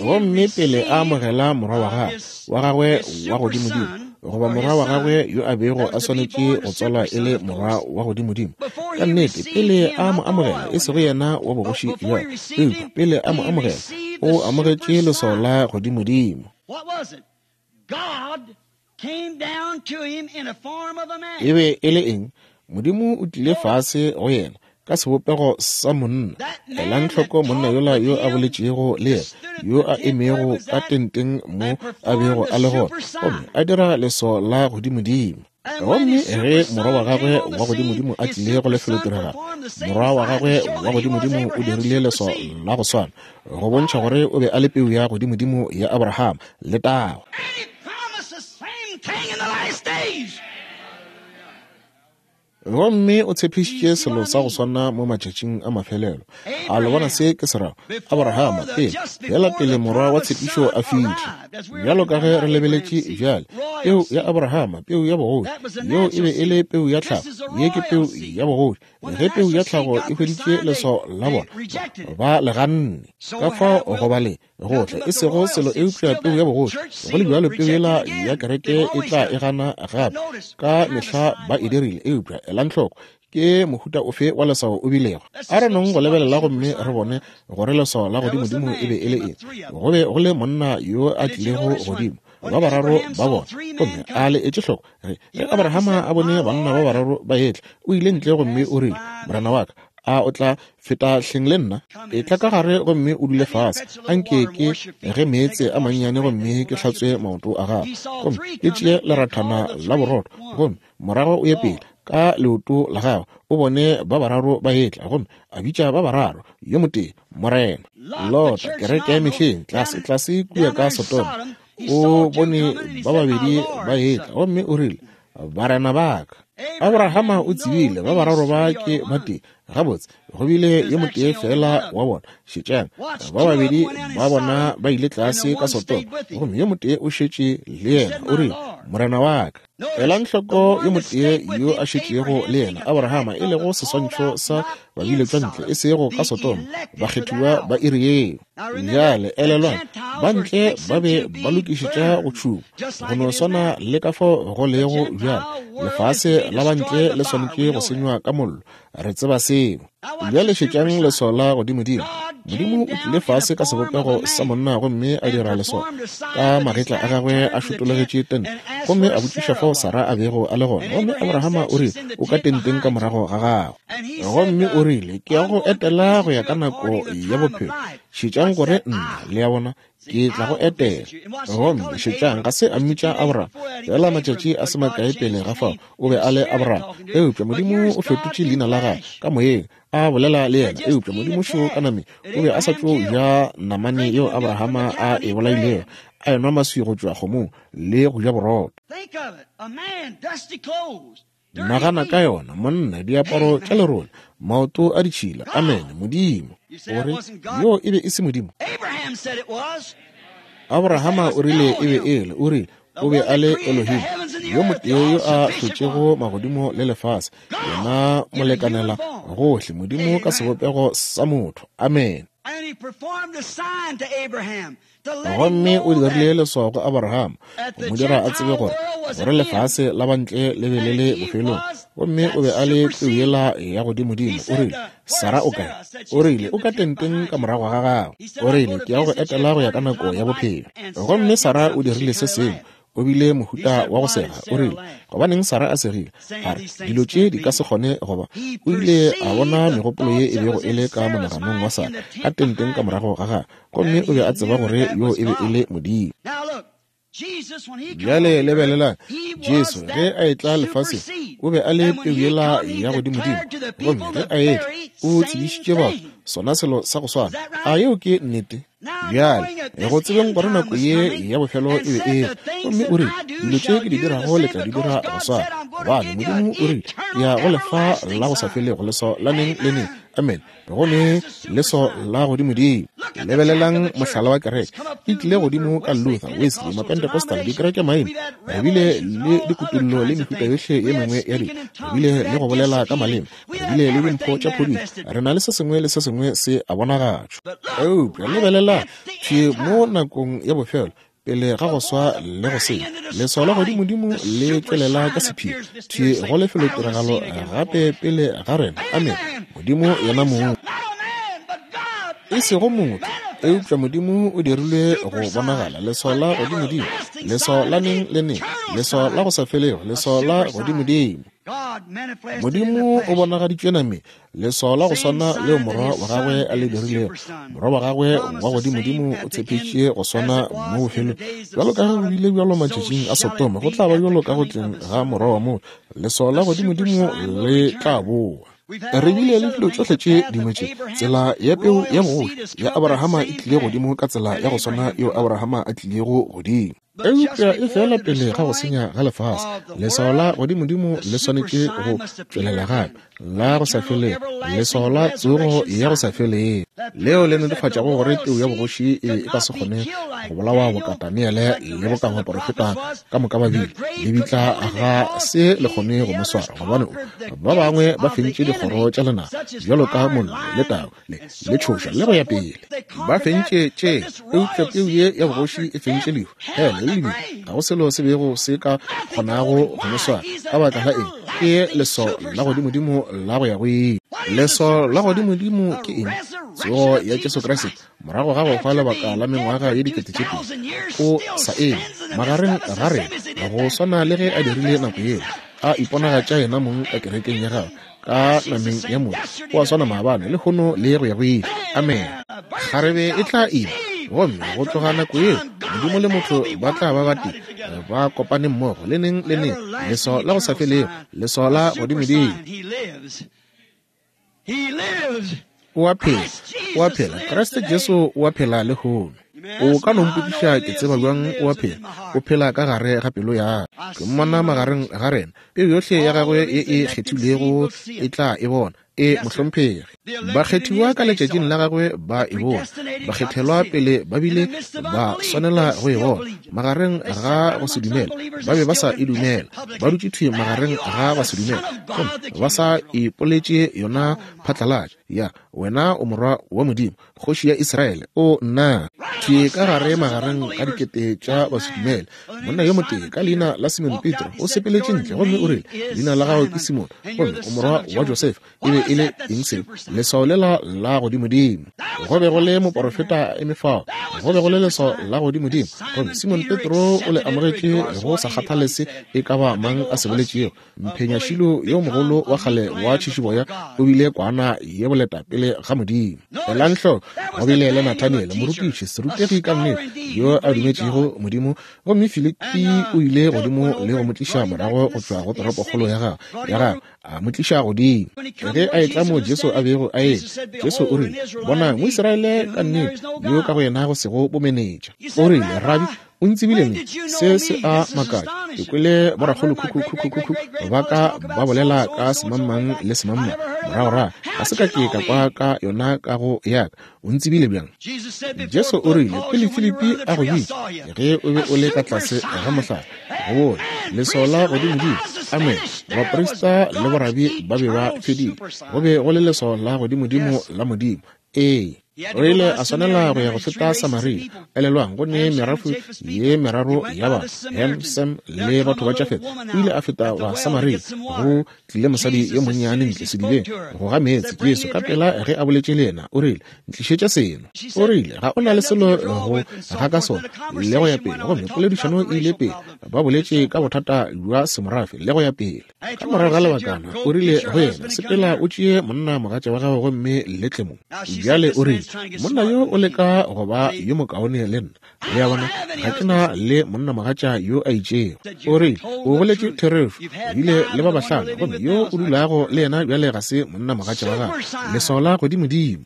Gomme pele a amogela morwa wa gagwe wa gagwe wa godimodimo, goba morwa wa gagwe yo a bego a swanetše go tswalwa e le morwa wa godimodimo, ka nnete pele a mo amogela, e sego yena wa bogoši bja, eupša pele a mo amogela, o amogetše leswao la godimodimo. E be e le eng? Modimo o tlile fase go yena ka sebopego sa monna. Elang hloko monna yola yo a boletšego le yena, yo a emego ka tenteng mo a bego a le gona, gomme a dira leswao la godimodimo. Gomme ge morwa wa gagwe wa godimodimo a tlile go lefelotiragalo, morwa wa gagwe wa godimodimo o dirile leswao la go swana, go bontšha gore o be a le peu ya godimodimo ya Abraham. Letago! Gomme o tshepišitše selo sa go swana mo matšatšing a mafelelo. A le bona se ke se rago? Abrahama pele, bjala pele morwa wa tshepišo a fihla. Bjalo ka ge re lebeletše bjale, peu ya Abrahama, peu ya bogoši, yeo e be e le peu ya tlhago, ye ke peu ya bogoši. Ge peu ya tlhago e hweditše leswao la bona, ba le ganne. Ka fao go ba le gohle, e sego selo eupša peu ya bogoši. Go le bjalo peu yela ya kereke e tla e gana gape. Ka mehla ba e dirile, eupša elang hloko ke mohuta ofe wa leswao o bilego. A re nong go lebelela gomme re bone gore leswao la godimodimo e be e le eng. Go be go le monna yo a tlilego godimo, ba bararo ba bona, gomme a le etše hloko ge ge Abrahama a bone banna ba bararo ba etla, o ile ntle gomme o rile, Morena wa ka, a o tla feta hleng le nna? E tla ka gare gomme o dule fase. Anke ke ge meetse a mannyane gomme ke hlatswe maoto a gago, gomme ke tšee lerathana la borotho, gomme morago o ye pele ka leoto la gago, o bone ba bararo ba etla. Gomme a bitša ba bararo, yo motee Morena. Lota, kereke ya mehleng, tlase tlase kua ka Sodoma, o bone ba babedi ba etla, gomme o rile, Barena ba ka. Abrahama o tsebile ba bararo ba ke ba tee. Gabotse, go bile yo motee fela wa bona. Šetšang, ba babedi ba bona ba ile tlase ka Sodoma, gomme yo motee o šetše le yena, o rile, Morena wa ka. Elang hloko yo motee yo a šetšego le yena, Abrahama, e lego seswantšho sa babiletšwa ntle, e sego ka Sodoma, bakgethiwa ba iri yeo. Bjale elelwang, ba ntle ba be ba lokišetša go tšhuma, go no swana le ka fao go lego bjale. Lefase la bantle le swanetše go senywa ka mollo, re tseba seo. Bjale šetšang leswao la godimodimo. Modimo o tlile fase ka sebopego sa monna gomme a dira leswao ka magetla a gagwe a šotologetše tente, gomme a botšiša fao Sara a bego a le gona. Gomme Abrahama o rile, o ka tenteng ka morago ga gagwe. Gomme o rile, ke ya go etela go ya ka nako ya bophelo. Šetšang gore nna, le a bona, ke tla go etela. Gomme šetšang, ga se a mmitša Abraham, fela matšatši a se makae pele ga fao o be a le Abraham. Eupša Modimo o fetotše leina la gagwe ka moyeng, a bolela le yena. Eupša Modimo šo ka nameng o be a sa tšo ja namane yeo Abrahama a e bolailego, a enwa maswi go tšwa kgomong le go ja borotho. Nagana ka yona, monna, diaparo tša lerole, maoto a ditšhila. Amen. Modimo. Gore yo e be e se Modimo. Abrahama o rile e be e le, o rile o be a le Elohim, yo motee yo a hlotšego magodimo le lefase, yena molekanela gohle, Modimo ka sebopego sa motho. Amen. Gomme o dirile leswao go Abraham, go mo dira a tsebe gore gore lefase la bantle le be le le bofelong. Gomme o be a le peu yela ya godimodimo. O rile, Sara o kae? O rile, o ka tenteng ka morago ga gagwe. O rile, ke ya go etela go ya ka nako ya bophelo. Gomme Sara o dirile se sengwe. O bile mohuta wa go sega. O rile, gobaneng Sara a segile? A re, dilo tše di ka se kgone goba. O ile a bona megopolo ye e bego e le ka monaganong wa Sara ka tenteng ka morago ga gagwe, gomme o be a tseba gore yo e be e le Modimo. Bjale lebelelang, Jesu ge a etla lefaseng o be a le peu yela ya godimodimo, gomme ge a etla o tsebišitše batho sona selo sa go swana. A yeo ke nnete? Bjale go tsebeng gore nako ye ya bofelo e be e, gomme o rile, dilo tše ke di dirago le tla di dira go swana, gobane Modimo o rile, ke ya go lefa la go sa felego, leswao la neng le neng. Amen. Go ne leswao la godimodimo. Lebelelang mohlala wa kereke. E tlile godimo ka Luther, Wesley, Mapentecostal, dikereke maina. Re bile le dikutullo le mehuta yohle ye mengwe ya dilo. Re bile le go bolela ka maleme. Re bile le dimpho tša phodišo. Re na le se sengwe le se sengwe se a bonagatšwa. Eupša lebelelang thwi mo nakong ya bofelo, pele ga go swa le go senya, leswao la godimodimo le tšwelela ka sephiri thwi go lefelotiragalo gape pele ga rena. Amen. Modimo yena mong, e sego motho, eupša Modimo o dirilwe go bonagala. Leswao la godimodimo, leswao la neng le neng, leswao la go sa felego, leswao la godimodimo. Modimo o bonagaditšwe nameng, leswao la go swana leo morwa wa gagwe a le dirilego. Morwa wa gagwe wa godimodimo o tshepetše go swana mo bofelong. Bjalo ka ge go bile bjalo matšatšing a Sodoma, go tla ba bjalo ka go tleng ga morwa wa motho. Leswao la godimodimo le tla boa. Re bile le dilo tšohle tše dingwe tše. Tsela ya peu ya bogoši ya Abrahama e tlile godimo ka tsela ya go swana yeo Abrahama a tlilego godimo. Eupša e fela pele ga go senya ga lefase, leswao la godimodimo le swanetše go tšwelela gape, la go sa felego, leswao la tsogo ya go sa felego, leo le netefatšago gore peu ya bogoši e be e ka se kgone go bolawa boka Daniele le boka baporofeta ka moka ba bile. Lebitla ga se le kgone go mo swara, gobane ba bangwe ba fentše dikgoro tša lenaba bjalo ka mollo le tau le le tšhoša le go ya pele. Ba fentše tše, eupša peu ye ya bogoši e fentše lehu, hele le lebitla. Ga go selo se bego se ka kgonago go mo swara. Ka baka la eng? Ke leswao la godimodimo la go ya go ile. Leswao la godimodimo ke eng? Tsogo ya Jesu Kriste morago ga go hwa lebaka la mengwaga ye dikete tše pedi, o sa eme magareng ga rena go swana le ge a dirile nako yeo, a iponagatša yena mong ka kerekeng ya gagwe ka nameng ya motho. O a swana maabane, lehono le go ya go ile. Amen. Kgarebe e tla ima, gomme go tloga nako yeo Modimo le motho ba tla ba batee, ba kopane mmogo le neng le neng. Leswao la go sa felego, leswao la godimodimo. O a phela, o a phela. Kriste Jesu o a phela lehono. O ka no mpotšiša ke tseba bjang o a phela? O phela ka gare ga pelo ya ka. Ke mmona magareng ga rena. Peu yohle ya gagwe ye e kgethilwego e tla e bona. E mohlomphegi. Bakgethiwa ka letšatšing la gagwe ba e bona. Bakgethelwa pele ba bile ba swanela go e bona. Magareng ga go se dumela, ba be ba sa e dumela. Ba dutše thwi magareng ga ba se dumela, gomme ba sa ipoletše yona phatlalatša. Ya, wena o morwa wa Modimo, kgoši ya Israele, o nna. Thwi ka gare magareng ga dikete tša basedumele, monna yo motee ka leina la Simon Petro o sepeletše ntle gomme o rile, leina la gago ke Simon, gomme o morwa wa Josefa. E be e le eng seo? Leswao lela la godimodimo. Go be go le moporofeta a eme fao. Go be go le leswao la godimodimo, gomme Simon Petro o le amogetše go sa kgathale se e ka ba mang a se boletšego. Mphenyašilo yo mogolo wa kgale wa tšhišiboya o bile kwana ye boleta pele ga Modimo. Elang hloko, go bile le Nathaniele, morutiši, serutegi ka nnete, yo a dumetšego Modimo, gomme Filipi o ile godimo le go mo tliša morago go tšwa go toropokgolo ya gagwe ya gagwe, a mo tliša godimo. Ge a etla mo Jesu a bego a etla, Jesu o rile, bonang Moisraele ka nnete, yo ka go yena go sego bomenetša. O rile, Rabi, o ntsebile neng? Se se a makatša. Ke kwele borakgolokhukhu ba ka ba bolela ka semangmang le semangmang moragorago, ga se ka ke ka kwa ka yona ka go ya ka. O ntsebile bjang? Jesu o rile, pele Filipi a go bitša, ge o be o le ka tlase ga mohlare, go bone leswao la godimodimo. Amen. Baprista le borabi ba be ba fedile. Go be go le leswao la godimodimo la Modimo. Ee. O ile a swanela go ya go feta Samaria. Elelwang, go ne merafo ye meraro ya batho, Ham, Sem le batho ba Jafet. O ile a feta wa Samaria. Go tlile mosadi yo monnyane ntle sedibeng go ga meetse. Jesu ka pela ge a boletše le yena, o rile, ntlišetša seno. O rile, ga o na le selo go ga ka sona, le go ya pele. Gomme poledišano e ile pele. Ba boletše ka bothata bja semorafe le go ya pele. Ka morago ga lebakana, o rile go yena, sepela o tšee monna mogatša wa gago gomme le tle mo. Bjale o rile, monna yo o leka go ba yo mokaone le nna. Le a bona, ga ke na le monna mogatša yo a itšego. O rile, o boletše therešo, bile le ba bahlano, gomme yo o dulago le yena bjale ga se monna mogatša wa gago. Leswao la godimodimo.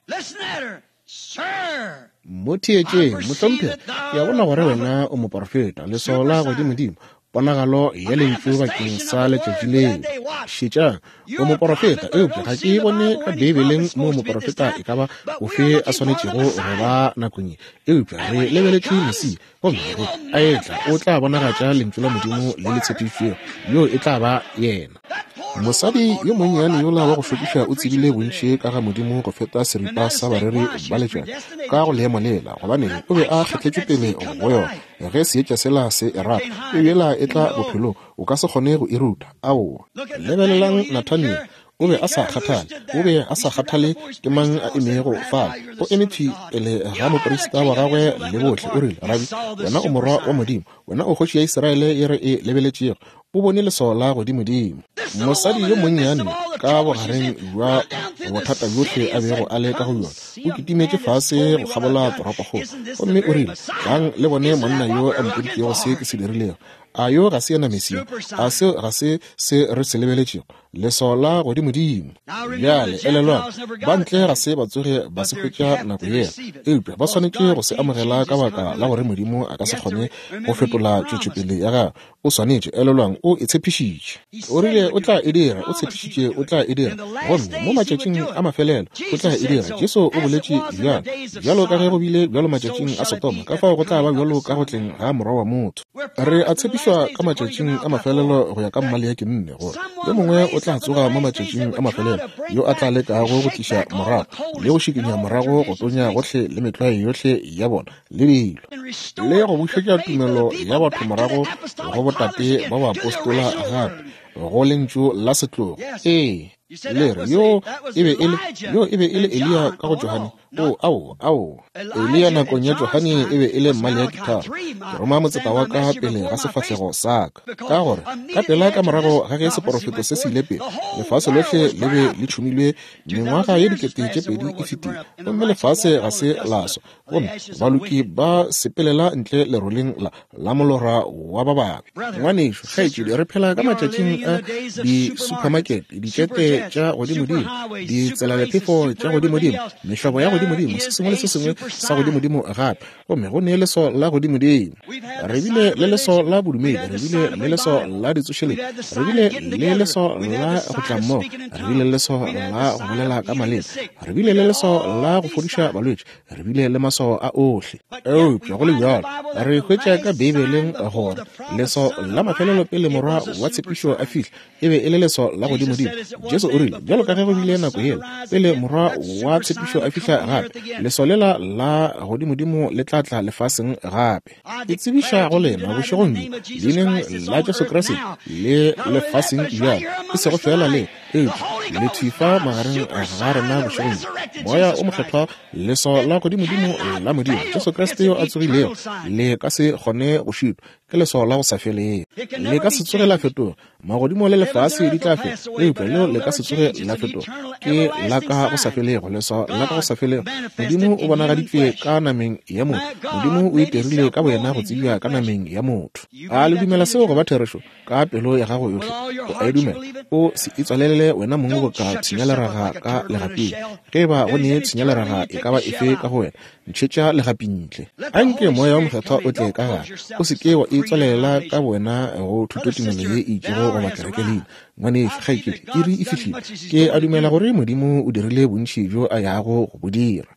Mo theetšeng, mohlomphegi, ke a bona gore wena o moporofeta. Leswao la godimodimo. Ponagalo ya lentšu bakeng sa letšatši leo. Šetšang, o moporofeta, eupša ga ke bone ka Beibeleng moo moporofeta e ka ba ofe a swanetšego go ba nakong ye. Eupša re lebeletše Mesia, gomme ge a etla o tla bonagatša lentšu la Modimo le le tshepišitšwego, yo e tla ba yena. Mosadi yo monnyane yola wa go šokiša o tsebile bontši ka ga Modimo go feta seripa sa bareri ba letšatši ka go leemo lela, gobane o be a kgethetšwe pele go yona. Ge seetša sela se e rata, peu yela e tla bophelong, o ka se kgone go e ruta. Aowa. Lebelelang Nathaniel, o be a sa kgathale, o be a sa kgathale ke mang a emego fale. O eme thwi pele ga moprista wa gagwe le bohle, o rile, Rabi, wena o morwa wa Modimo, wena o kgoši ya Israele ye re e lebeletšego. O bone leswao la godimodimo. Mosadi yo monnyane ka bogareng bja bothata bjohle a bego a le ka go bjona, o kitimetše fase go kgabola toropokgolo, gomme o rile, Tlang le bone monna yo a mpoditšego se ke se dirilego. A yo ga se yena Mesia? A seo ga se se re se lebeletšego? Leswao la godimodimo. Bjale elelwang, ba ntle ga se ba tsoge ba se hwetša nako yela, eupša ba swanetše go se amogela ka baka la gore Modimo a ka se kgone go fetola tšwetšopele ya gagwe. O swanetše, elelwang, o e tshepišitše. O rile o tla e dira, o tshepišitše o tla e dira, gomme mo matšatšing a mafelelo o tla e dira. Jesu o boletše bjalo, bjalo ka ge go bile bjalo matšatšing a Sodoma, ka fao go tla ba bjalo ka go tleng ga Morwa wa motho. Re a tshepišwa ka matšatšing a mafelelo go ya ka Maleaki nne gore yo mongwe o tla tsoga mo matšatšing a mafelelo yo a tla lekago go tliša morago le go šikinya morago go tonya gohle le metlwae yohle ya bona le dilo, le go bušetša tumelo ya batho morago go botate ba baapostola gape go lentšu la setlogo. Ee, le re yo e be e le yo e be e le Eliya ka go Johane. O ao ao Eliya nakong ya Johane e be e le Maleaki tharo. Ke roma motseta wa ka pele ga sefahlego sa ka, ka gore ka pela ka morago ga ge seporofeto se se ile pele, lefase lohle le be le tšhumilwe mengwaga ye dikete tše pedi e fetile, gomme lefase ga se la swa, gomme baloki ba sepelela ntle leroleng la la molora wa ba babe. Ngwanešu, kgaetšedi, re phela ka matšatšing a di-supermarket, ditšete tša godimodimo, ditselalephefo tša godimodimo, mehlobo ya godimodimo, se sengwe le se sengwe sa godimodimo gape, gomme go ne leswao la godimodimo. Re bile le leswao la bodumedi, re bile le leswao la ditsošeletšo, re bile le leswao la go tla mmogo, re bile le leswao la go bolela ka maleme, re bile le leswao la go fodiša balwetši, re bile le maswao a ohle. Eupša go le bjalo, re hwetša ka Beibeleng gore leswao la mafelelo pele morwa wa tshepišo a fihla e be e le leswao la godimodimo. Jesu o rile, bjalo ka ge go bile nako yela pele morwa wa tshepišo a fihla gape, leswao lela la godimodimo le tla tla lefaseng gape. Ke tsebiša go lena bošegong bjo leineng la Jesu Kriste le lefaseng bjalo, e sego fela le, eupša le thwi fa magareng ga rena bošegong bjo. Moya o Mokgethwa, leswao la godimodimo la Modimo, Jesu Kriste yo a tsogilego, le ka se kgone go šitwa, ke leswao la go sa felego, le ka se tsoge la fetoga. Magodimo le lefase di tla feta, eupša leo le ka se tsoge la fetoga, ke la ka go sa felego, leswao la ka go sa felego. Modimo o bonagaditšwe ka nameng ya motho, Modimo o itirile ka boyena go tsebja ka nameng ya motho. A le dumela seo go ba therešo ka pelo ya gago yohle? O a e dumela? O se itswalelele wena mong boka tshenyaleraga ka legaping. Ge eba go ne tshenyaleraga e ka ba efe ka go wena, ntšhetša legapi ntle. Anke Moya wo Mokgethwa o tle ka gare. O se ke wa itswalela ka bowena go thutotumelo ye e itšego goba kerekelina. Ngwanešu, kgaetšedi, iri e fihlile. Ke a dumela gore Modimo o dirile bontši bjo a yago go bo dira.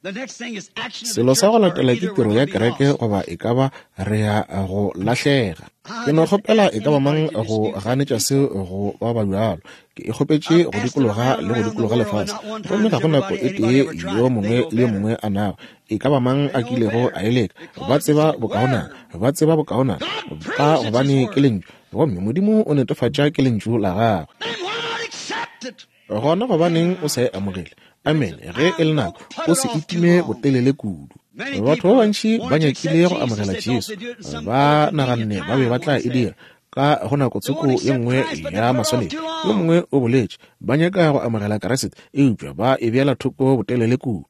Selo sa go latela ke tiro ya kereke, goba e ka ba re ya go lahlega. Ke no kgopela e ka ba mang go ganetša seo go ba ba bjalo. Ke e kgopetše go dikologa le go dikologa lefase, gomme ga go nako e tee yo mongwe le yo mongwe a nago e ka ba mang a kilego a e leka. Ba tseba bokaonana, ba tseba bokaonana, ka gobane ke lentšu, gomme Modimo o netefatša ke lentšu la gagwe. Gona gobaneng o sa e amogele? Amen. Ge e le nako, o se itime botelele kudu. Batho ba bantši ba nyakile go amogela Jesu, ba naganne ba be ba tla e dira ka go nako tsoko ye nngwe ya maswanedi. Yo mongwe o boletše, ba nyaka go amogela Kriste, eupša ba e beela thoko botelele kudu.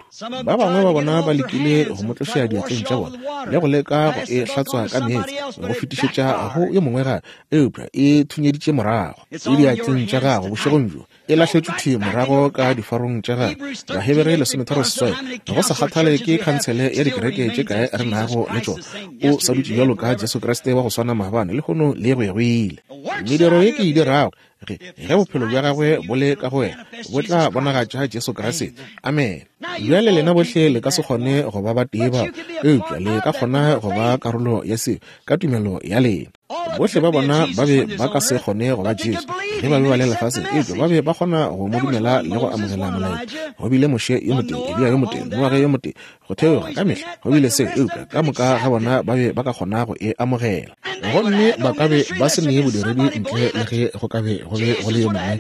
Ba bangwe ba bona ba lekile go mo tloša diatleng tša bona le go leka go e hlatswa ka meetse go fetišetša go yo mongwe gape, eupša e thunyeditše morago. E diatleng tša gago bošegong bjo, e lahletšwe thwi morago ka difarong tša gagwe. Bahebere lesometharo seswai, go sa kgathale ke khansele ya dikereke tše kae re nago le tšona, o sa dutše bjalo ka Jesu Kriste wa go swana maabane, lehono le go ya ya go ile. Mediro ye ke e dirago, ge ge bophelo bja gagwe bo le ka go wena, bo tla bonagatša Jesu Kriste. Amen. Bjale lena bohle le ka se kgone go ba batee bao, eupša le ka kgona go ba karolo ya seo ka tumelo ya lena. Bohle ba bona ba be ba ka se kgone go ba Jesu ge ba be ba le lefaseng, eupša ba be ba kgona go mo dumela le go amogela molaetša. Go bile Moshe yo motee, Eliya yo motee, Noage yo motee, go theoga ka mehla go bile seo, eupša ka moka ga bona ba be ba ka kgona go e amogela. Gomme ba ka be ba se ne bodiredi ntle le ge go ka be go be go le yo mongwe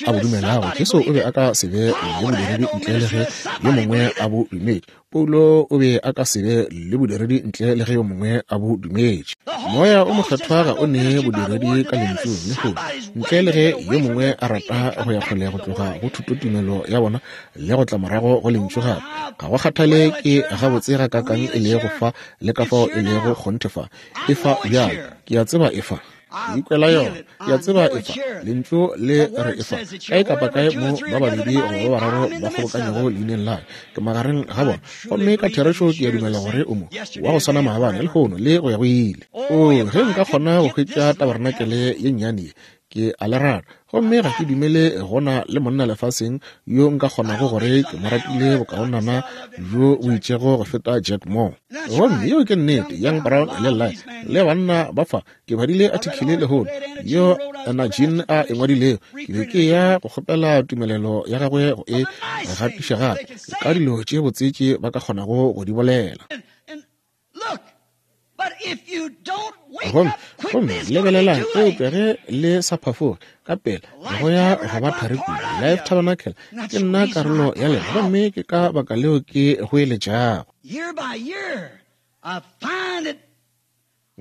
a bo dumelago. Jesu o be a ka se be le bodiredi ntle le ge yo mongwe a bo dumetše. Paulo o be a ka se be le bodiredi ntle le ge yo mongwe a bo dumetše. Moya o Mokgethwa ga o nee bodiredi ka lentšu lehono ntle le ge yo mongwe a rata go ya kgole go tloga go thutotumelo ya bona le go tla morago go lentšu gape. Ga go kgathale ke gabotse ga kakang e lego fa le ka fao e lego kgonthe fa. E fa bjalo, ke a tseba e fa. Ke ikwela yona, ke a tseba e fa. Lentšu le re e fa. Kae kapa kae mo ba babedi goba ba bararo ba kgobokanyego leineng la ka, ke magareng ga bona. Gomme ka therešo ke a dumela gore o mo wa go swana maabane, lehono le go ya go ile. O, ge nka kgona go hwetša tabarenakele ye nnyane ye, ke a le rata. Gomme ga ke dumele gona le monna lefaseng yo nka kgonago gore ke mo ratile bokaonana bjo bo itšego go feta Jack Moore. Gomme yeo ke nnete. Young Brown le Lyle le banna ba fa, ke badile article lehono yo Anna Jean a e ngwadilego. Ke be ke ya go kgopela tumelelo ya gagwe go e gatiša gape ka dilo tše botse tše ba ka kgonago go di bolela. Gomme gomme lebelelang, eupša ge le sa phafoge ka pela go ya go ba thari kudu. Life Tabernacle ke nna karolo ya lena, gomme ke ka baka leo ke goeletšago.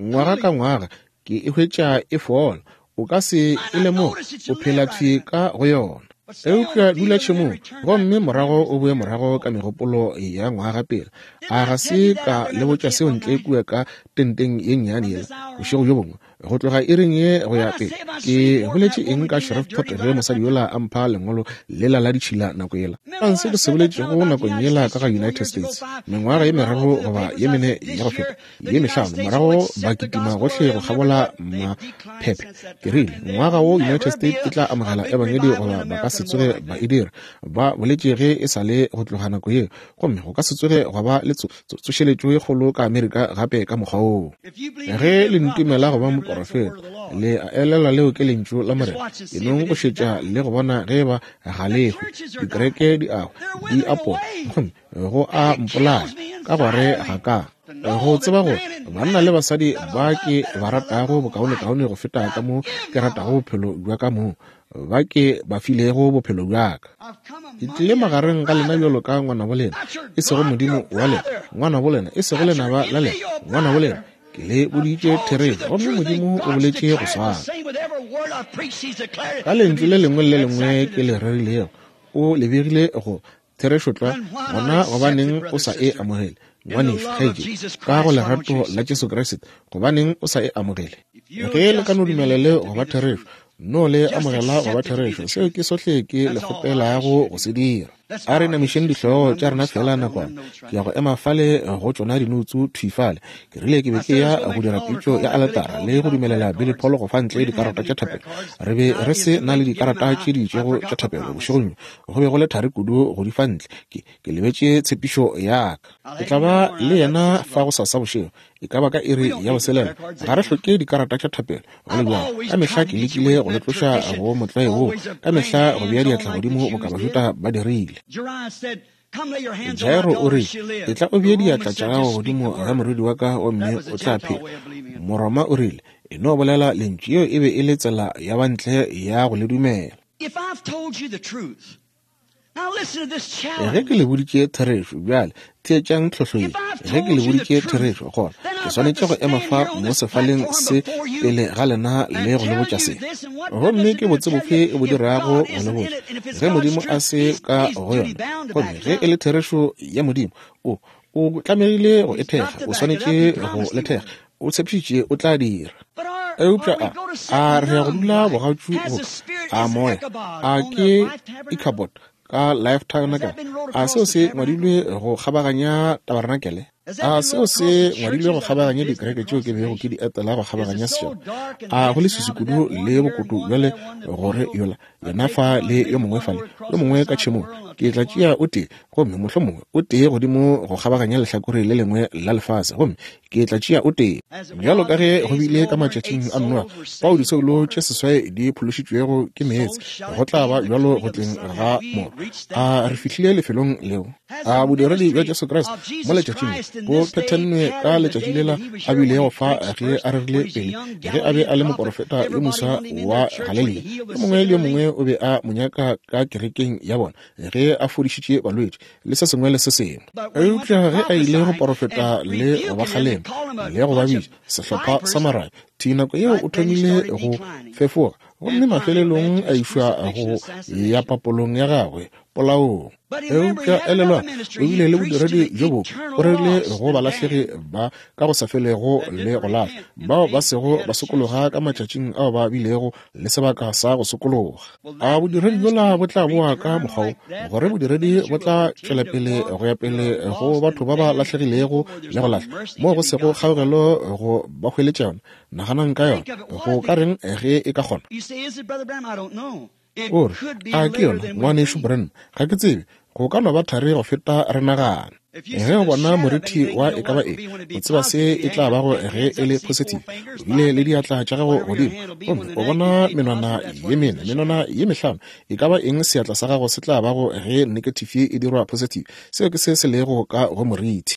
Ngwaga ka ngwaga ke e hwetša e fola. O ka se e lemoge, o phela thwi ka go yona. Eupša dula tšhemong gomme morago o boe morago ka megopolo ya ngwaga pele. A ga se ka le botša seo ntle kua ka tenteng ye nnyane yela bošego bjo bongwe, go tloga iring ye go ya pele? Ke boletše eng ka Shreveport ge mosadi yola a mpha lengwalo lela la ditšhila nako yela? Kang se ke se boletšego nakong yela ka ga United States mengwaga ye meraro goba ye mene ya go feta, ye mehlano morago, ba kitima gohle go kgabola maphephe. Ke rile ngwaga wo United States e tla amogela ebangedi goba ba ka se tsoge ba e dira. Ba boletše ge e sa le go tloga nako yeo, gomme go ka se tsoge gwa ba le tsošeletšo ye kgolo ka Amerika gape ka mokgwa woo. Ge le ntumela go ba moporofeta, le a elelwa leo ke lentšu la Morena. E nong go šetša le go bona ge ba ga le hwe. Dikereke di a di apola, gomme go a mpolaya ka gore ga ka go tseba gore banna le basadi ba ke ba ratago bokaonekaone go feta ka mo ke ratago bophelo bja ka mo ba ke ba filego bophelo bja ka. Ke tlile magareng ga lena bjalo ka ngwana bo lena, e sego modimo wa lena, ngwana bo lena, e sego lenaba la lena, ngwana bo lena. Ke le boditše therešo, gomme Modimo o boletše go swana. Ka lentšu le lengwe le le lengwe ke le rerilego, o le begile go therešo tlwa. Gona gobaneng o sa e amogele, ngwanešu, kgaetšedi, ka go lerato la Jesu Kriste? Gobaneng o sa e amogele? Ge le ka no dumelele go ba therešo, no le amogela go ba therešo, seo ke sohle ke le kgopelago go se dira. A re namišeng dihlogo tša rena fela nakwana. Ke ya go ema fale go tšona dinoutsu thwi fale. Ke rile ke be ke ya go dira pitšo ya aletara le go dumelela Billy Paul go fa ntle dikarata tša thapelo. Re be re se na le dikarata tše di itšego tša thapelo bošegong bjo. Go be go le thari kudu go di fa ntle. Ke, ke lebetše tshepišo ya ka. Ke tla ba le yena fa go sasa bošego, e ka ba ka iri ya boselela. Ga re hloke dikarata tša thapelo go le bjalo. Ka mehla ke lekile go le tloša go motlwae woo, ka mehla go bea diatla godimo boka Bajuda ba dirile. Jairo o rile, etla o bee diatla tša gago godimo ga morwedi wa ka gomme o tla phela. Moroma o rile, e no bolela lentšu. Yeo e be e le tsela ya bantle ya go le dumela. Ge ke le boditše therešo, bjale theetšang tlhohlo ye. Ge ke le boditše therešo, gona ke swanetše go ema fa mo sefaleng se pele ga lena le go le botša se. Gomme ke botse bofe e bo dirago go le botša ge Modimo a se ka go yona? Gomme ge e le therešo ya Modimo, o o tlamegile go e thekga, o swanetše go le thekga, o tshepišitše o tla dira. Eupša a a re ya go dula bogatšu boka a moya, a ke Ichabod ka Life Tabernacle? A seo se ngwadilwe go kgabaganya tabernacle? A seo se ngwadilwe go kgabaganya dikereke tšeo ke bego ke di etela go kgabaganya setšhaba? A go leswiswi kudu le bokutu bjale gore yola yena fa le yo mongwe fale, yo mongwe ka tšhemong, ke tla tšea o tee, gomme mohlomongwe o tee godimo go kgabaganya lehlakore le lengwe la lefase, gomme ke tla tšea o tee. Bjalo ka ge go bile ka matšatšing a Noa, fao disoulo tše seswai di phološitšwego ke meetse, go tla ba bjalo go tleng ga Morwa. A re fihlile lefelong leo? A bodiredi bja Jesu Kriste mo letšatšing bo phethennwe ka letšatši lela a bilego fa ge a rerile pele, ge a be a le moporofeta yo moswa wa Galelia. Yo mongwe le yo mongwe o be a mo nyaka ka kerekeng ya bona ge a fodišitše balwetši le se sengwe le se sengwe. Eupša ge a ile go porofeta le go ba kgalema le go ba bitša sehlopha sa marabe, thi nako yeo o thomile go fefoga, gomme mafelelong a išwa go ya papolong ya gagwe polaong. Eupša elelwa, o bile le bodiredi bjo bo o rerile go balahlegi ba ka go sa felego le go lahla, bao ba sego ba sokologa ka matšatšing ao ba bilego le sebaka sa go sokologa. A bodiredi bjola bo tla boa ka mokgwa wo, gore bodiredi bo tla tšwela pele go ya pele go batho ba ba lahlegilego le go lahla, moo go sego kgaogelo go ba hweletša yona. Naganang ka yona, go ka reng ge e ka kgona? O re, a ke yona, ngwanešu Branham? Ga ke tsebe, go ka no ba thari go feta re nagana. Ge o bona morithi wa e ka ba eng, o tseba se e tla bago ge e le positive. O bile le diatla tša gago godimo, gomme o bona menwana ye mene, menwana ye mehlano, e ka ba eng seatla sa gago se tla bago ge negative e dirwa positive. Seo ke se se lego ka go morithi.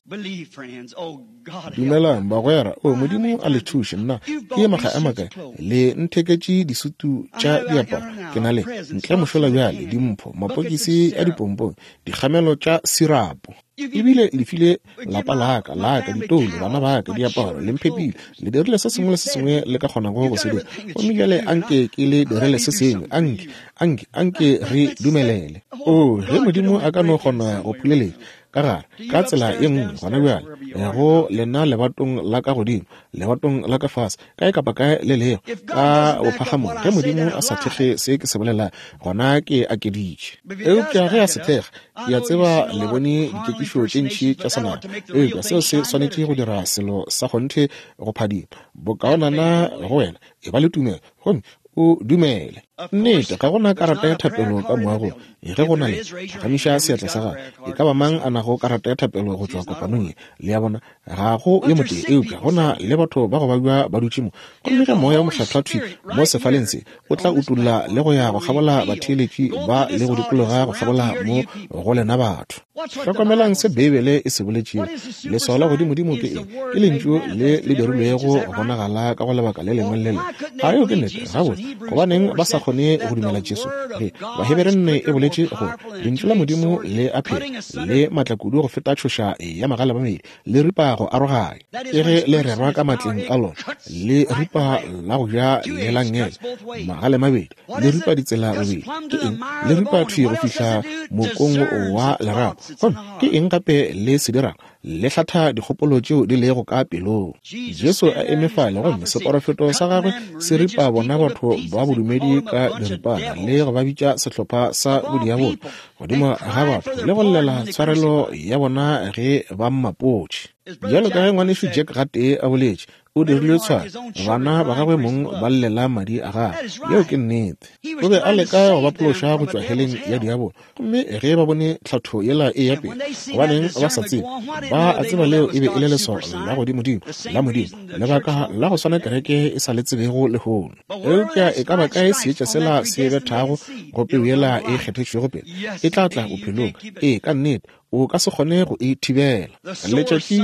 Dumelang bagwera, o Modimo a le thuše. Nna ke makga a makae le ntheketše disutu tša diaparo, ke na le ntle mošola bjale, dimpho, mapokisi a dipompong, dikgamelo tša sirapo. Ebile le file lapa laka laka ditoulo, bana baka diaparo, le mphepile, le dirile se sengwe le se sengwe le ka kgonago go se dira. Gomme bjale anke ke le direle se sengwe, anke anke anke re dumelele. O ge Modimo a ka no kgona go phuleletša ka gare ka tsela e nngwe gona bjale go lena lebatong la ka godimo, lebatong la ka fase, kae kapa kae le lego ka bophagamong, ge Modimo a sa thekge se ke se bolela, gona ke akeditše. Eupša ge a se thekga, ke a tseba le bone dikekišo tše ntši tša senama, eupša seo se swanetše go dira selo sa kgonthe go phadima. Bokaonana go wena e ba le tumelo, gomme o dumele. Nnete, ga gona karata ya thapelo ka moagong. Ge go na le, phagamiša seatla sa gago. E ka ba mang a nago karata ya thapelo go tšwa kopanong ye? Le a bona, ga go yo motee, eupša go na le batho ba go babja ba dutše mo. Gomme ge Moya o Mokgethwa thwi mo sefaleng se o tla utolla le go ya go kgabola batheeletši ba le go dikologa go kgabola mo go lena batho. Hlokomelang se Beibele e se boletšego. Leswao la godimodimo ke eng? Ke lentšu le le dirilwego go bonagala ka go lebaka le lengwe le le lengwe. A yeo ke nnete? Gabotse, gobaneng ba sa kgone go dumela Jesu? Ge Bahebere nne e boletše gore lentšu la Modimo le a phela, le matla kudu go feta tšhoša ya magale mabedi, le ripa go aroganya. Ke ge le rerwa ka matleng a lona, le ripa la go ja le la nngele, magale mabedi, le ripa ditsela bobedi. Ke eng? Le ripa thwi go fihla mokong wa lerapo. Gomme ke eng gape le se dirang? Le hlatha dikgopolo tšeo di lego ka pelong. Jesu a eme fale, gomme seporofeto sa gagwe se ripa bona batho ba bodumedi ka diripana le go ba bitša sehlopha sa bodiabolo godimo ga batho le go llela tshwarelo ya bona ge ba mmapotše. Bjalo ka ge ngwanešu Jack gatee a boletše, o dirilwe tshwaro, bana ba gagwe mong ba llela madi a gagwe. Yeo ke nnete. O be a leka go ba phološa go tšwa heleng ya diabolo, gomme ge ba bone tlhatho yela e ya pele, gobaneng ba sa tsebe? Ba a tseba leo e be e le leswao la godimodimo la Modimo, lebaka la go swana kereke e sa le tsebego lehono. Eupša e ka ba kae seetša sela se bethago go peu yela e kgethetšwego pele, e tla tla bophelong. Ee, ka nnete, o ka se kgone go e thibela. Letšatši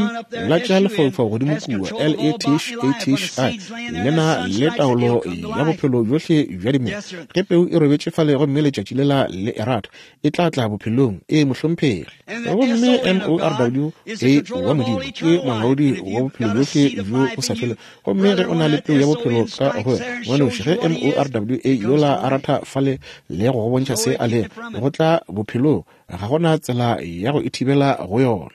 la tša lefaufau godimo kua, L E T H A T H I, le na le taolo ya bophelo bjohle bja dimela. Ge peu e robetše fale gomme letšatši lela le e rata, e tla tla bophelong. E mohlomphegi. Gomme M O R W A wa Modimo ke molaodi wa bophelo bjohle bjo bo sa felego. Gomme ge o na le peu ya bophelo ka go wena, ngwanešu, ge M O R W A yola a ratha fale le go go bontšha se a lego, go tla bophelong. Ga gona tsela ya go e thibela go yona.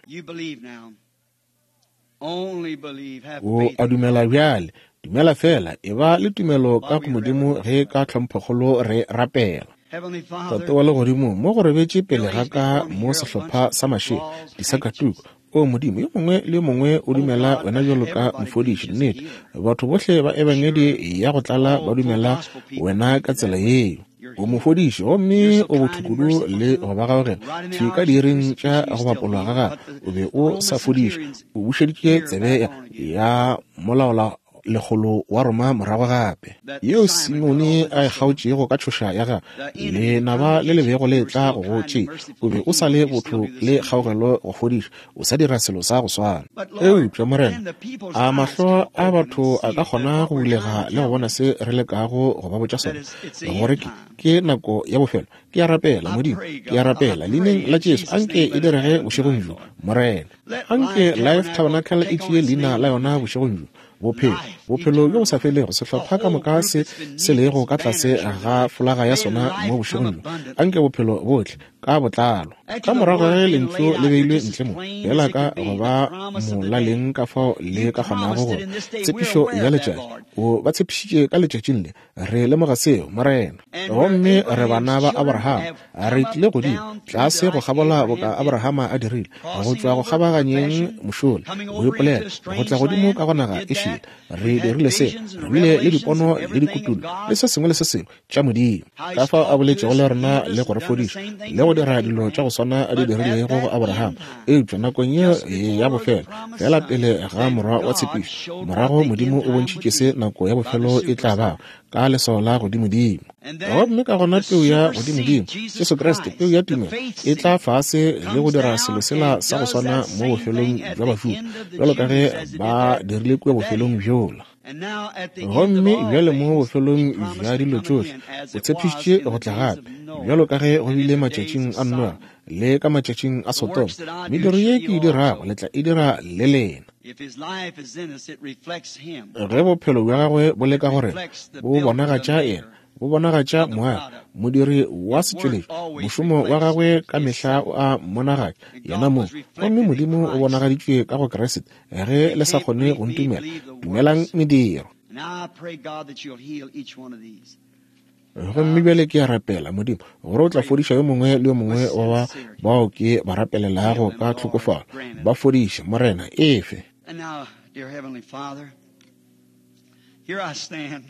O a dumela bjale, dumela fela, e ba le tumelo ka go Modimo ge ka tlhomphokgolo re rapela. Tate wa legodimo, mo go robetše pele ga ka mo sehlopha sa mašela, disakatuku. O Modimo, yo mongwe le yo mongwe o dumela wena bjalo ka mofodiši. Nnete, batho bohle ba ebangedi ya go tlala ba dumela wena ka tsela yeo. O mofodiši gomme o botho kudu le go ba gaogela. Thwi ka diiring tša go bapolwa ga gagwe, o be o sa fodišwa. O bušeditše tsebe ya molaola lekgolo wa Roma morago gape, yeo Simone a e kgaotšego ka tšhoša ya gagwe. Lenaba le le bego le tla go go tšea, o be o sa le botho le kgaogelo go fodiša, o sa dira selo sa go swana. Eupša Morena, a mahlo a batho a ka kgona go bulega le go bona se re lekago go ba botša sona, gore ke ke nako ya bofelo. Ke a rapela, Modimo, ke a rapela leineng la Jesu, anke e direge bošegong bjo, Morena. Anke Life Tabernacle e tšee leina la yona bošegong bjo. Bophelo, bophelo bjo bo sa felego, sehlopha ka moka se se lego ka tlase ga folaga ya sona mo bošegong bjo. Anke bophelo bohle ka botlalo. Ka morago ge lentšu le beilwe ntle mo, feela ka go ba molaleng ka fao le ka kgonago gore tshepišo ya letšatši, o ba tshepišitše ka letšatšing le, re lemoga seo, Morena. Gomme re bana ba Abraham, re tlile godimo tlase go kgabola boka Abrahama a dirile, go tšwa go kgabaganyeng mošola, go ipolela, go tla godimo ka go naga e šele. Re dirile se, re bile le dipono le dikutullo le se sengwe le se sengwe tša Modimo, ka fao a boletšego le rena le go re fodiša le go dira dilo tša go swana a di dirilego go Abraham. Eupša nakong yeo ya bofelo, fela pele ga morwa wa tshepišo, morago Modimo o bontšhitše se nako ya bofelo e tla bago ka leswao la godimodimo. Gomme ka gona peu ya godimodimo, Jesu Kriste, peu ya tumelo, e tla fase le go dira selo sela sa go swana mo bofelong bja Bajuda, bjalo ka ge ba dirile kua bofelong bjola. Gomme bjale mo bofelong bja dilo tšohle, o tshepišitše go tla gape, bjalo ka ge go bile matšatšing a Noa le ka matšatšing a Sodoma. Mediro ye ke e dirago le tla e dira le lena. Ge bophelo bja gagwe bo le ka go rena, bo bonagatša yena, bo bonagatša moagi, modiri wa setšweletši. Mošomo wa gagwe ka mehla o a mmonagatša yena mong. Gomme Modimo o bonagaditšwe ka go Kriste. Ge le sa kgone go ntumela, dumelang mediro. Gomme bjale ke a rapela, Modimo, gore o tla fodiša yo mongwe le yo mongwe wa ba bao ke ba rapelelago ka tlhokofalo. Ba fodiše, Morena, efe. And now, dear Heavenly Father, here I stand.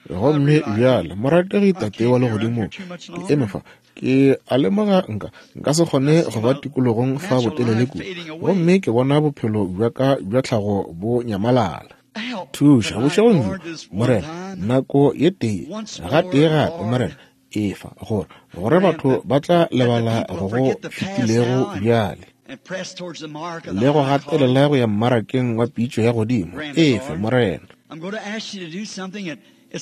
Gomme bjale, morategi Tate wa legodimo, ke eme fa, ke a lemoga nka nka se kgone go ba tikologong fa botelele kudu, gomme ke bona bophelo bja ka bja tlhago bo nyamalala. Thuša bošegong bjo, Morena, nako ye tee ga tee gape, Morena, efa gore gore batho ba tla lebala go go fetilego bjale le go gatelela go ya mmarakeng wa pitšo ya godimo. Efe, Morena. Ke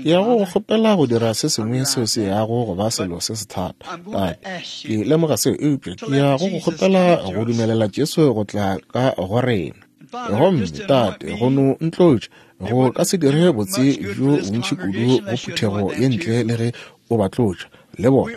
ya go kgopela go dira se sengwe seo se yago go ba selo se se thata, Tate. Ke lemoga seo, eupša ke ya go go kgopela go dumelela Jesu go tla ka go rena. Gomme Tate, go no ntlotša, go ka se dire botse bjo bontši kudu go phuthego ye ntle le ge o ba tlotša le bona.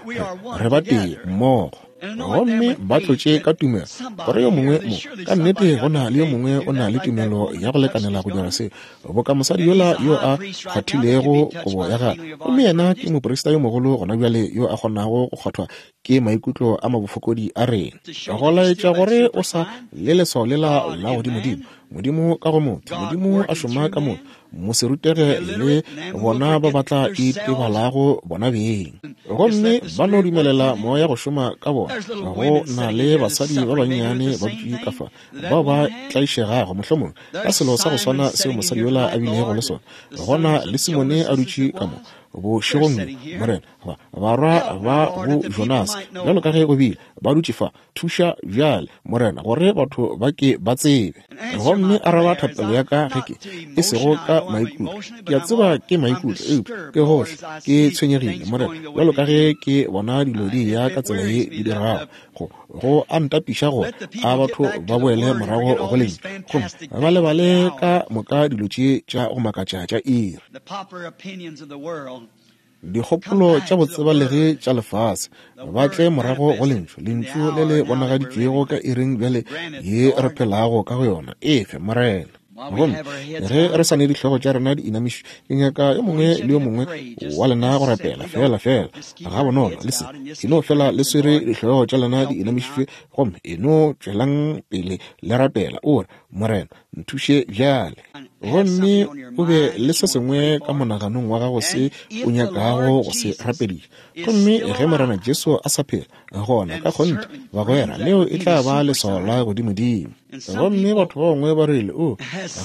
Re ba tee mmogo. Gomme ba tlotše ka tumelo, gore yo mongwe mo, ka nnete go na le yo mongwe o na le tumelo ya go lekanela go dira se, boka mosadi yola yo a kgwathilego kobo ya gagwe. Gomme yena ke moprista yo mogolo gona bjale yo a kgonago go kgwathwa ke maikutlo a mabofokodi a rena, go laetša gore o sa le leswao lela la godimodimo. Modimo ka go motho, Modimo a šoma ka motho, moserutege le bona ba ba tla itebalago bona beng. Gomme ba no dumelela moya go šoma ka bona. Go na le basadi ba bannyane ba dutše ka fa, bao ba tlaišegago mohlomongwe ka selo sa go swana seo mosadi yola a bilego le sona. Go na le Simone a dutše ka mo bošegong bjo, Morena, barwa ba bo Jonas, bjalo ka ge go bile, ba dutše fa. Thuša bjale, Morena, gore batho ba ke ba tsebe. Gomme araba thapelo ya ka ge ke e sego ka maikutlo. Ke a tseba ke maikutlo, eupša ke gohle ke tshwenyegile, Morena, bjalo ka ge ke bona dilo di ya ka tsela ye di dirago. Go go a ntapiša gore a batho ba boele morago go lentšu, gomme ba lebale ka moka dilo tše tša go makatša tša iri. Dikgopolo tša botsebalegi tša lefase, ba tle morago go lentšu, lentšu le le bonagaditšwego ka iring bjale ye re phelago ka go yona. Efe, Morena. Gomme ge re sa ne dihlogo tša rena di inamišwe, ke nyaka yo mongwe le yo mongwe wa lena go rapela fela fela ga bonolo le se e no fela le swere dihlogo tša lena di inamišitšwe, gomme e no tšwelang pele le rapela o re, Morena nthuše bjale. Gomme o be le se sengwe ka monaganong wa gago se o nyakago go se rapediša. Gomme ge Morena Jesu a sa phela, gona ka kgonthe bagwera leo e tla ba leswao la godimodimo. Gomme batho ba bangwe ba rile, o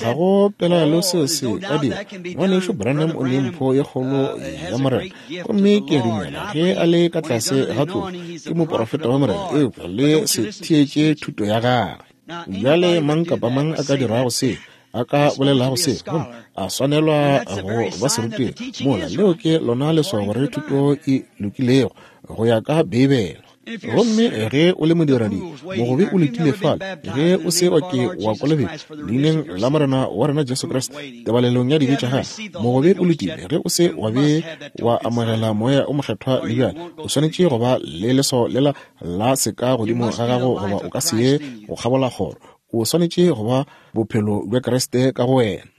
ga go pelaelo seo se ka dira. Ngwanešu Branham o ne mpho ye kgolo ya Morena, gomme ke a dumela ge a le ka tlase ga tlou ke moporofeta wa Morena, eupša le se theetše thuto ya gagwe. Bjale mang kapa mang a ka dirago se, a ka bolelago se, gomme a swanelwa go ba serutegi, mola leo ke lona leswao gore thuto e lokilego go ya ka Beibele. Gomme ge o le modiradi mogobe o letile fale, ge o se wa ke wa kolobetšwa leineng la Morena wa rena Jesu Kriste tebalelong ya dibe tša gago, mogobe o letile ge o se wa be wa amogela moya o mokgethwa le bjale, o swanetše go ba le leswao lela la seka godimo ga gago goba o ka se ye go kgabola kgoro. O swanetše go ba bophelo bja Kriste ka go wena.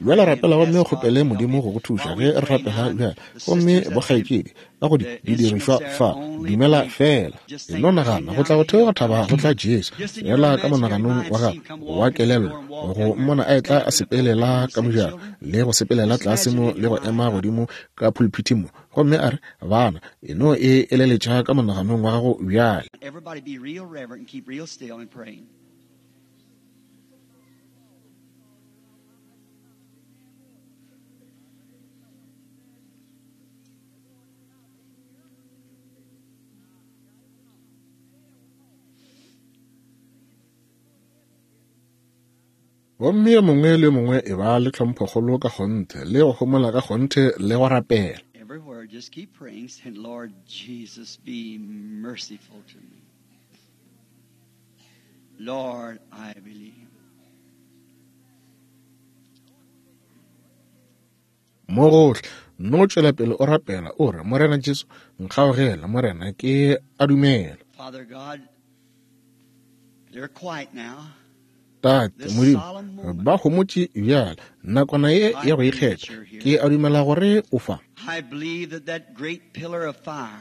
Bjale rapela gomme o kgopele Modimo go go thuša ge re rapela bjale. Gomme bokgaetšedi ka go di didirišwa fa, dumela fela. E no nagana go tla go theoga thaba go tla Jesu, fela ka monaganong wa gago wa kelello, go mmona a etla a sepelela ka mojako le go sepelela tlase mo le go ema godimo ka pulpiti mo, gomme a re, bana, e no e eleletša ka monaganong wa gago bjale. Everybody be real reverent and keep real still and praying. Gomme yo mongwe le yo mongwe e ba le tlhomphokgolo ka kgonthe le go homola ka kgonthe le go rapela. Everywhere, just keep praying, saying, Lord Jesus, be merciful to me. Lord, I believe. Mo gohle, no tšwela pele o rapela o re, Morena Jesu, nkgaogela, Morena, ke a dumela. Father God, they're quiet now. Tate Modimo, ba homotše bjale nakwana ye ya go ikgetha, ke a dumela gore o fa. I believe that that great pillar of fire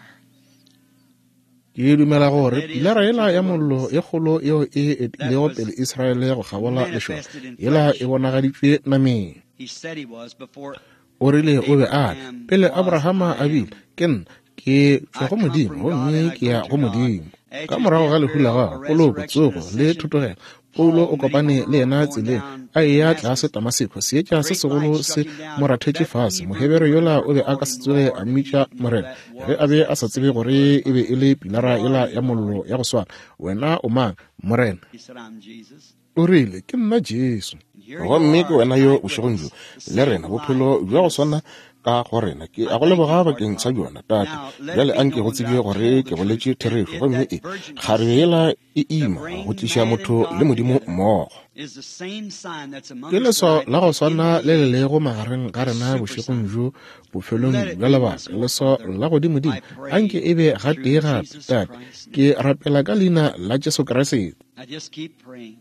Ke dumela gore pilara yela ya mollo e kgolo yeo e etilego pele Israele go kgabola lešoka, yela e bonagaditšwe nameng. He said he was before O rile o be a le pele Abrahama a bile, ke nna, ke tšwa go Modimo gomme ke ya go Modimo. Ka morago ga lehu la gagwe, poloko, tsogo le thotogelo, Paulo o kopane le yena tseleng a eya tlase Damaseko. Seetša se segolo se mo rathetše fase. Mohebere yola o be a ka se tsoge a mmitša Morena ge a be a sa tsebe gore e be e le pilara yela ya mollo ya go swana. Wena o mang, Morena? He said, I'm Jesus. O rile, ke nna Jesu. Gomme ke wena yo bošegong bjo le rena, bophelo bja go swana ka go rena. Ke a go leboga bakeng sa bjona, Tate. Bjale anke go tsebje gore ke boletše therešo, gomme e kgarebe yela e ima go tliša motho le Modimo mmogo. Is the same sign that's among Ke us leswao tonight la go swana in le le me. lego magareng ga rena bošegong bjo bofelong bja lebaka, leswao la godimodimo. I pray Anke e be gatee through gape, Jesus Tate. Christ's name. Ke rapela ka leina la Jesu Kriste. Now just keep praying.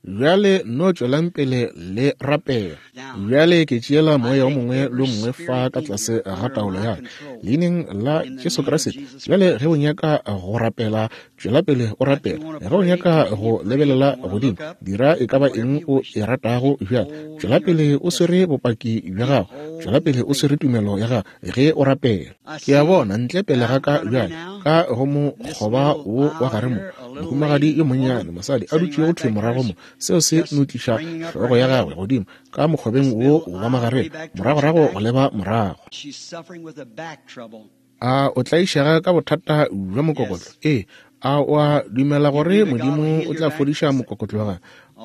Bjale no tšwelang pele le rapela. Bjale ke tšeela moya o mongwe le o mongwe fa ka tlase ga taolo ya ka, leineng la Jesu Kriste. Bjale ge o nyaka go rapela, tšwela pele o rapela. Ge o nyaka go lebelela godimo, dira e ka ba eng o e ratago. Bjale tšwela pele o swere bopaki bja gago, tšwela pele o swere tumelo ya gago ge o rapela. Ke a bona ntle pele ga ka bjale ka go mokgoba wo wa gare mo, mohumagadi yo monnyane, mosadi a dutšego thwi morago mo, seo se no tliša hlogo ya gagwe godimo ka mokgobeng wo wa magareng, moragorago go leba morago. She's suffering with a back trouble. A o tlaišega ka bothata bja mokokotlo? Ee. A o a dumela gore Modimo o tla fodiša mokokotlo wa gago?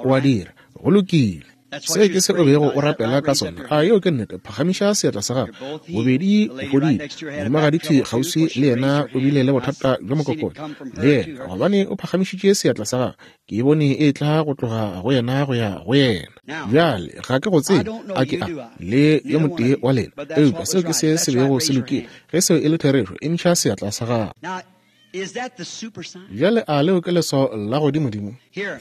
O a dira. Go lokile. Se ke se o bego o rapela ka sona. A yeo ke nnete? Phagamiša seatla sa gago. Bobedi o fodile. Mohumagadi thwi kgauswi le yena o bile le bothata bja mokokotlo le yena, gobane o phagamišitše seatla sa gagwe. Ke e bone e tla go tloga go yena go ya go yena. Bjale ga ke go tsebe, a ke a le yo motee wa lena, eupša seo ke se se bego se lokile. Ge seo e le therešo, emiša seatla sa gago. Bjale a leo ke leswao la godimodimo?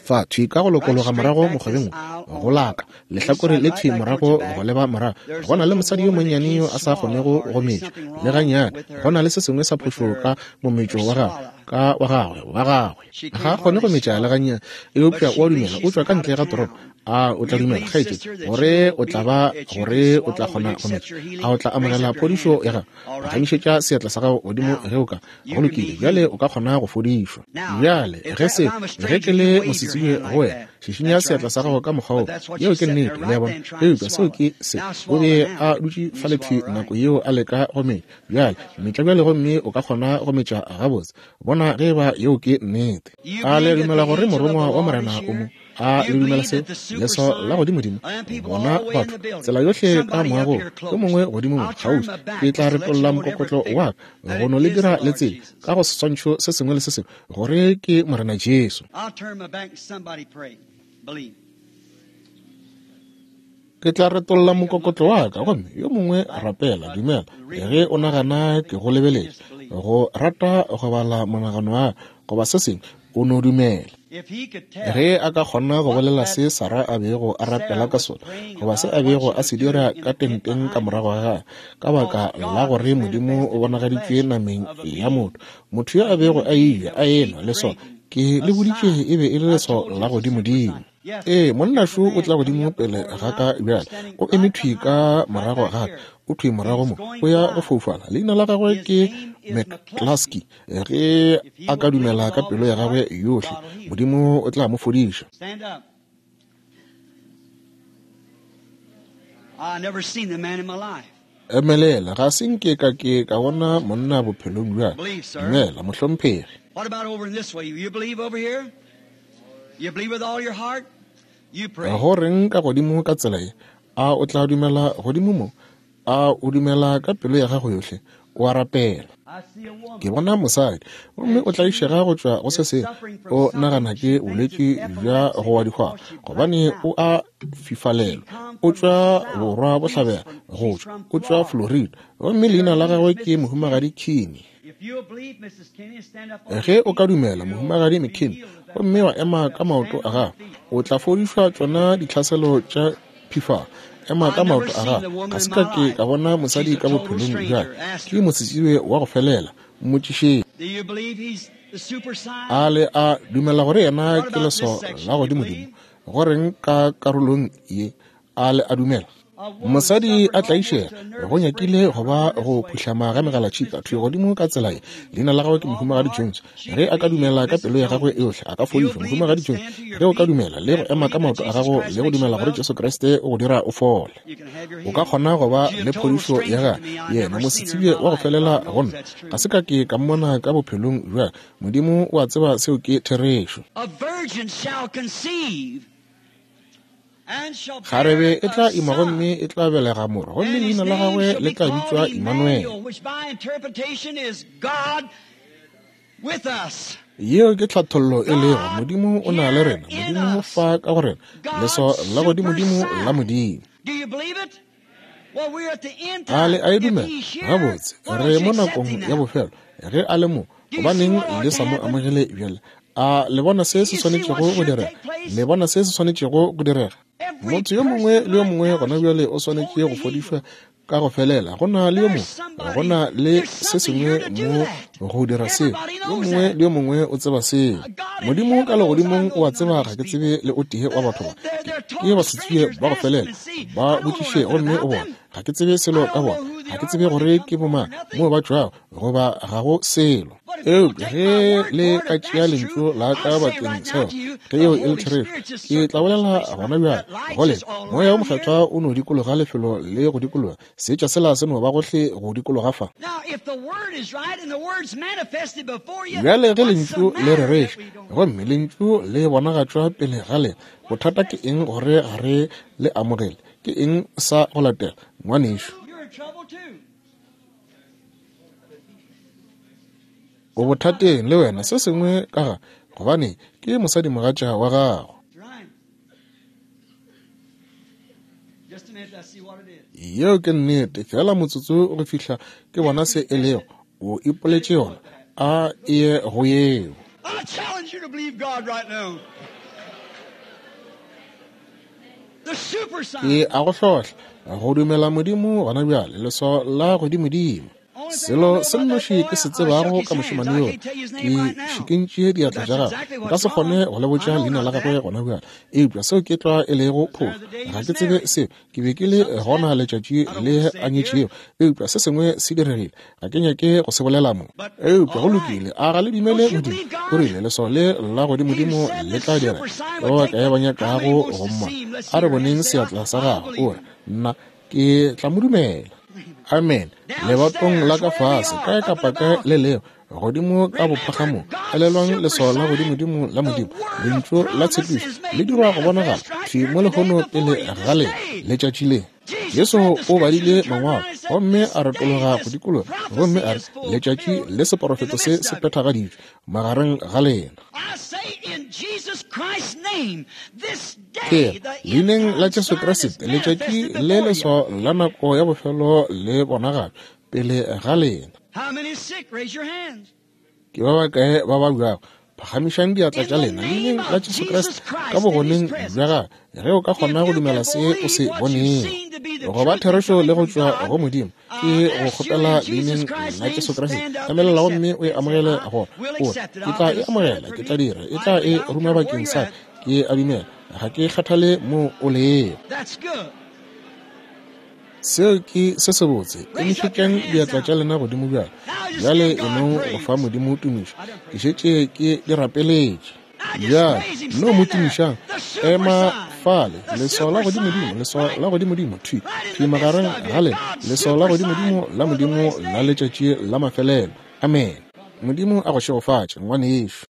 Fa thwi ka go lokologa morago mokgobeng wo, go laka lehlakore le thwi morago go leba morago, go na le mosadi yo monnyane yo a sa kgonego go metša le gannyane. Go na le se sengwe sa phošo ka mometšo wa gagwe, ka wa gagwe, wa gagwe. Ga a kgone go metša le gannyane, eupša o a dumela. O tšwa ka ntle ga toropo. A o tla dumela, kgaetšedi, gore o tla ba, gore o tla kgona go metša? A o tla amogela phodišo ya gago? Phagamišetša seatla sa gago godimo ge o ka. Go lokile, bjale o ka kgona go fodišwa. Bjale ge se, ge ke le mosetsebje go wena, šišinya seatla sa gago ka mokgwa wo. Yeo ke nnete, le a bona. Eupša seo ke se, o be a dutše fale thwi nako yeo a leka go metša. Bjale metša bjale gomme o ka kgona go metša gabotse. Bona ge eba yeo ke nnete. A le dumela gore morongwa wa Morena o mo? A le dumela se? Leswao la godimodimo. Bona batho tsela yohle ka moagong, yo mongwe godimo mo kgauswi. Ke tla retolla mokokotlo wa ka go no le dira le tsebe ka go seswantšho se sengwe le se sengwe gore ke Morena Jesu. Ke tla retolla mokokotlo wa ka gomme yo mongwe rapela, dumela. Ge o nagana ke go lebeletše, go rata go bala monagano wa goba se sengwe, o no dumela. Ge a ka kgona go bolela se Sara a bego a rapela ka sona, goba se a bego a se dira ka tenteng ka morago ga gagwe, ka baka la gore Modimo o bonagaditšwe nameng ya motho, motho yo a bego a eja a enwa le sona, ke le boditše e be e le leswao la godimodimo. Ee, monna šo o tla godimo pele ga ka bjale, o eme thwi ka morago ga ka, o thwi morago mo, o ya go foufala. Leina la gagwe ke McCluskey. Ge a ka dumela ka pelo ya gagwe yohle, Modimo o tla mo fodiša. Emelela, ga se nke ka ke ka bona monna bophelong bja. Dumela, mohlomphegi. Go reng ka godimo ka tsela ye? A o tla dumela godimo mo? A o dumela ka pelo ya gago yohle? O a rapela. Ke bona mosadi gomme o tlaišega go tšwa go se sengwe. O nagana ke bolwetši bja go wa dihwang, gobane o a fifalelwa. O tšwa borwa bohlabela go tšwa, o tšwa Florida, gomme leina la gagwe ke Mohumagadi Kinney. Ge o ka dumela, Mohumagadi McKinney, gomme wa ema ka maoto a gago, o tla fodišwa tšona ditlhaselo tša phifalo. Ema ka maoto a gago. Ga se ka ke ka bona mosadi ka bophelong bja ka. Ke mosetsebje wa go felela. Mmotšišeng. A le a dumela gore yena ke leswao la godimodimo? Go reng ka karolong ye? A le a dumela? Mosadi a tlaišega, go nyakile go ba go phuhlama ga megalatšhika thwi godimo ka tsela ye. Leina la gagwe ke Mohumagadi Jones. Ge a ka dumela ka pelo ya gagwe yohle, a ka fodišwa. Mohumagadi Jones, ge o ka dumela le go ema ka maoto a gago le go dumela gore Jesu Kriste o go dira o fole, o ka kgona go ba le phodišo ya gagwe. Yena mosetsebje wa go felela go nna, ga se ka ke ka mmona ka bophelong bja. Modimo o a tseba seo ke therešo. Kgarebe e tla ima gomme e tla belega morwa, gomme leina la gagwe le tla bitšwa Emmanuel. Yeo ke tlhathollo e lego Modimo o na le rena, Modimo fa ka go rena, leswao la godimodimo la Modimo. A le a e dumela? Gabotse, re mo nakong ya bofelo. Ge a le mo, gobaneng le sa mo amogele bjale? A le bona se se swanetšego go direga? Le bona se se swanetšego go direga? Motho yo mongwe le yo mongwe gona bjale o swanetše go fodišwa ka go felela. Go na le yo mongwe, go na le se sengwe mo go dira seo. Yo mongwe le yo mongwe o tseba seo. Modimo ka legodimong o a tseba ga ke tsebe le o tee wa batho ba. Ke basetsebje ba go felela. Ba botšiše gomme o bone. Ga ke tsebe selo ka bona. Ga ke tsebe gore ke bomang, moo ba tšwago, goba ga go selo. Eupša ge le ka tšea lentšu la ka bakeng seo, ge yeo e le therešo, ke tla bolela gona bjale go lena, Moya wo Mokgethwa o no dikologa lefelo le go dikologa, seetša sela se no ba gohle go dikologa fa. Bjale ge lentšu le rereša, gomme lentšu le bonagatšwa pele ga lena, bothata ke eng gore ga re le amogele? Ke eng sa go latela, ngwanešu? O bothateng le wena, se sengwe ka ga, gobane ke mosadimogatša wa gago. Yeo ke nnete, fela motsotso go fihla ke bona se e lego. O ipoletše yona, a eye go yeo. Ke a go hlohla go dumela Modimo gona bjale, leswao la godimodimo. Selo se nnoši ke se tsebago ka mošemane yo, ke šikintše diatla tša gagwe. Nka se kgone go le botša leina la gagwe gona bjale, eupša seo ke tlwa e lego phošo. Ga ke tsebe seo, ke be ke le gona letšatši le a nyetšego, eupša se sengwe se diregile, ga ke nyake go se bolela mo. Eupša go lokile, a ga le dumele Modimo? O rile leswao le la godimodimo le tla dira ba bakae ba nyakago go mmona? A re boneng seatla sa gagwe. O re, nna ke tla mo dumela. Amen. Lebatong la ka fase, kae kapa kae le leo, godimo ka bophagamong, elelwang leswao la godimodimo la Modimo, lentšu la tshepišo le dirwa go bonagala thwi mo lehono pele ga le letšatši le. Jesu o badile mangwalo gomme a retologa go dikologa gomme a re, letšatši le seporofeto se se phethagaditšwe magareng ga lena. Ke leineng la Jesu Kriste, letšatši le leswao la nako ya bofelo le bonagatšwa pele ga lena. Ke ba bakae ba babjago? Phagamišang diatla tša lena leineng la Jesu Kriste ka bogoneng bja gagwe, ge o ka kgona go dumela se o se bonego go ba therešo le go tšwa go Modimo. Ke go kgopela leineng la Jesu Kriste, emelela gomme o e amogele gore o re, ke tla e amogela, ke tla dira, e tla e ruma bakeng sa ke a dumela, ga ke kgathale mo o lego. Seo ke se sebotse. Emišetšang diatla tša lena godimo bjale. Bjale e nong go fa Modimo tumišo. Ke šetše ke di rapeletše. Bjale no mo tumišang. Ema fale, leswao la godimodimo, leswao la godimodimo, thwi thwi magareng ga lena, leswao la godimodimo la Modimo la letšatši la mafelelo. Amen. Modimo a go šegofatše, ngwanešu.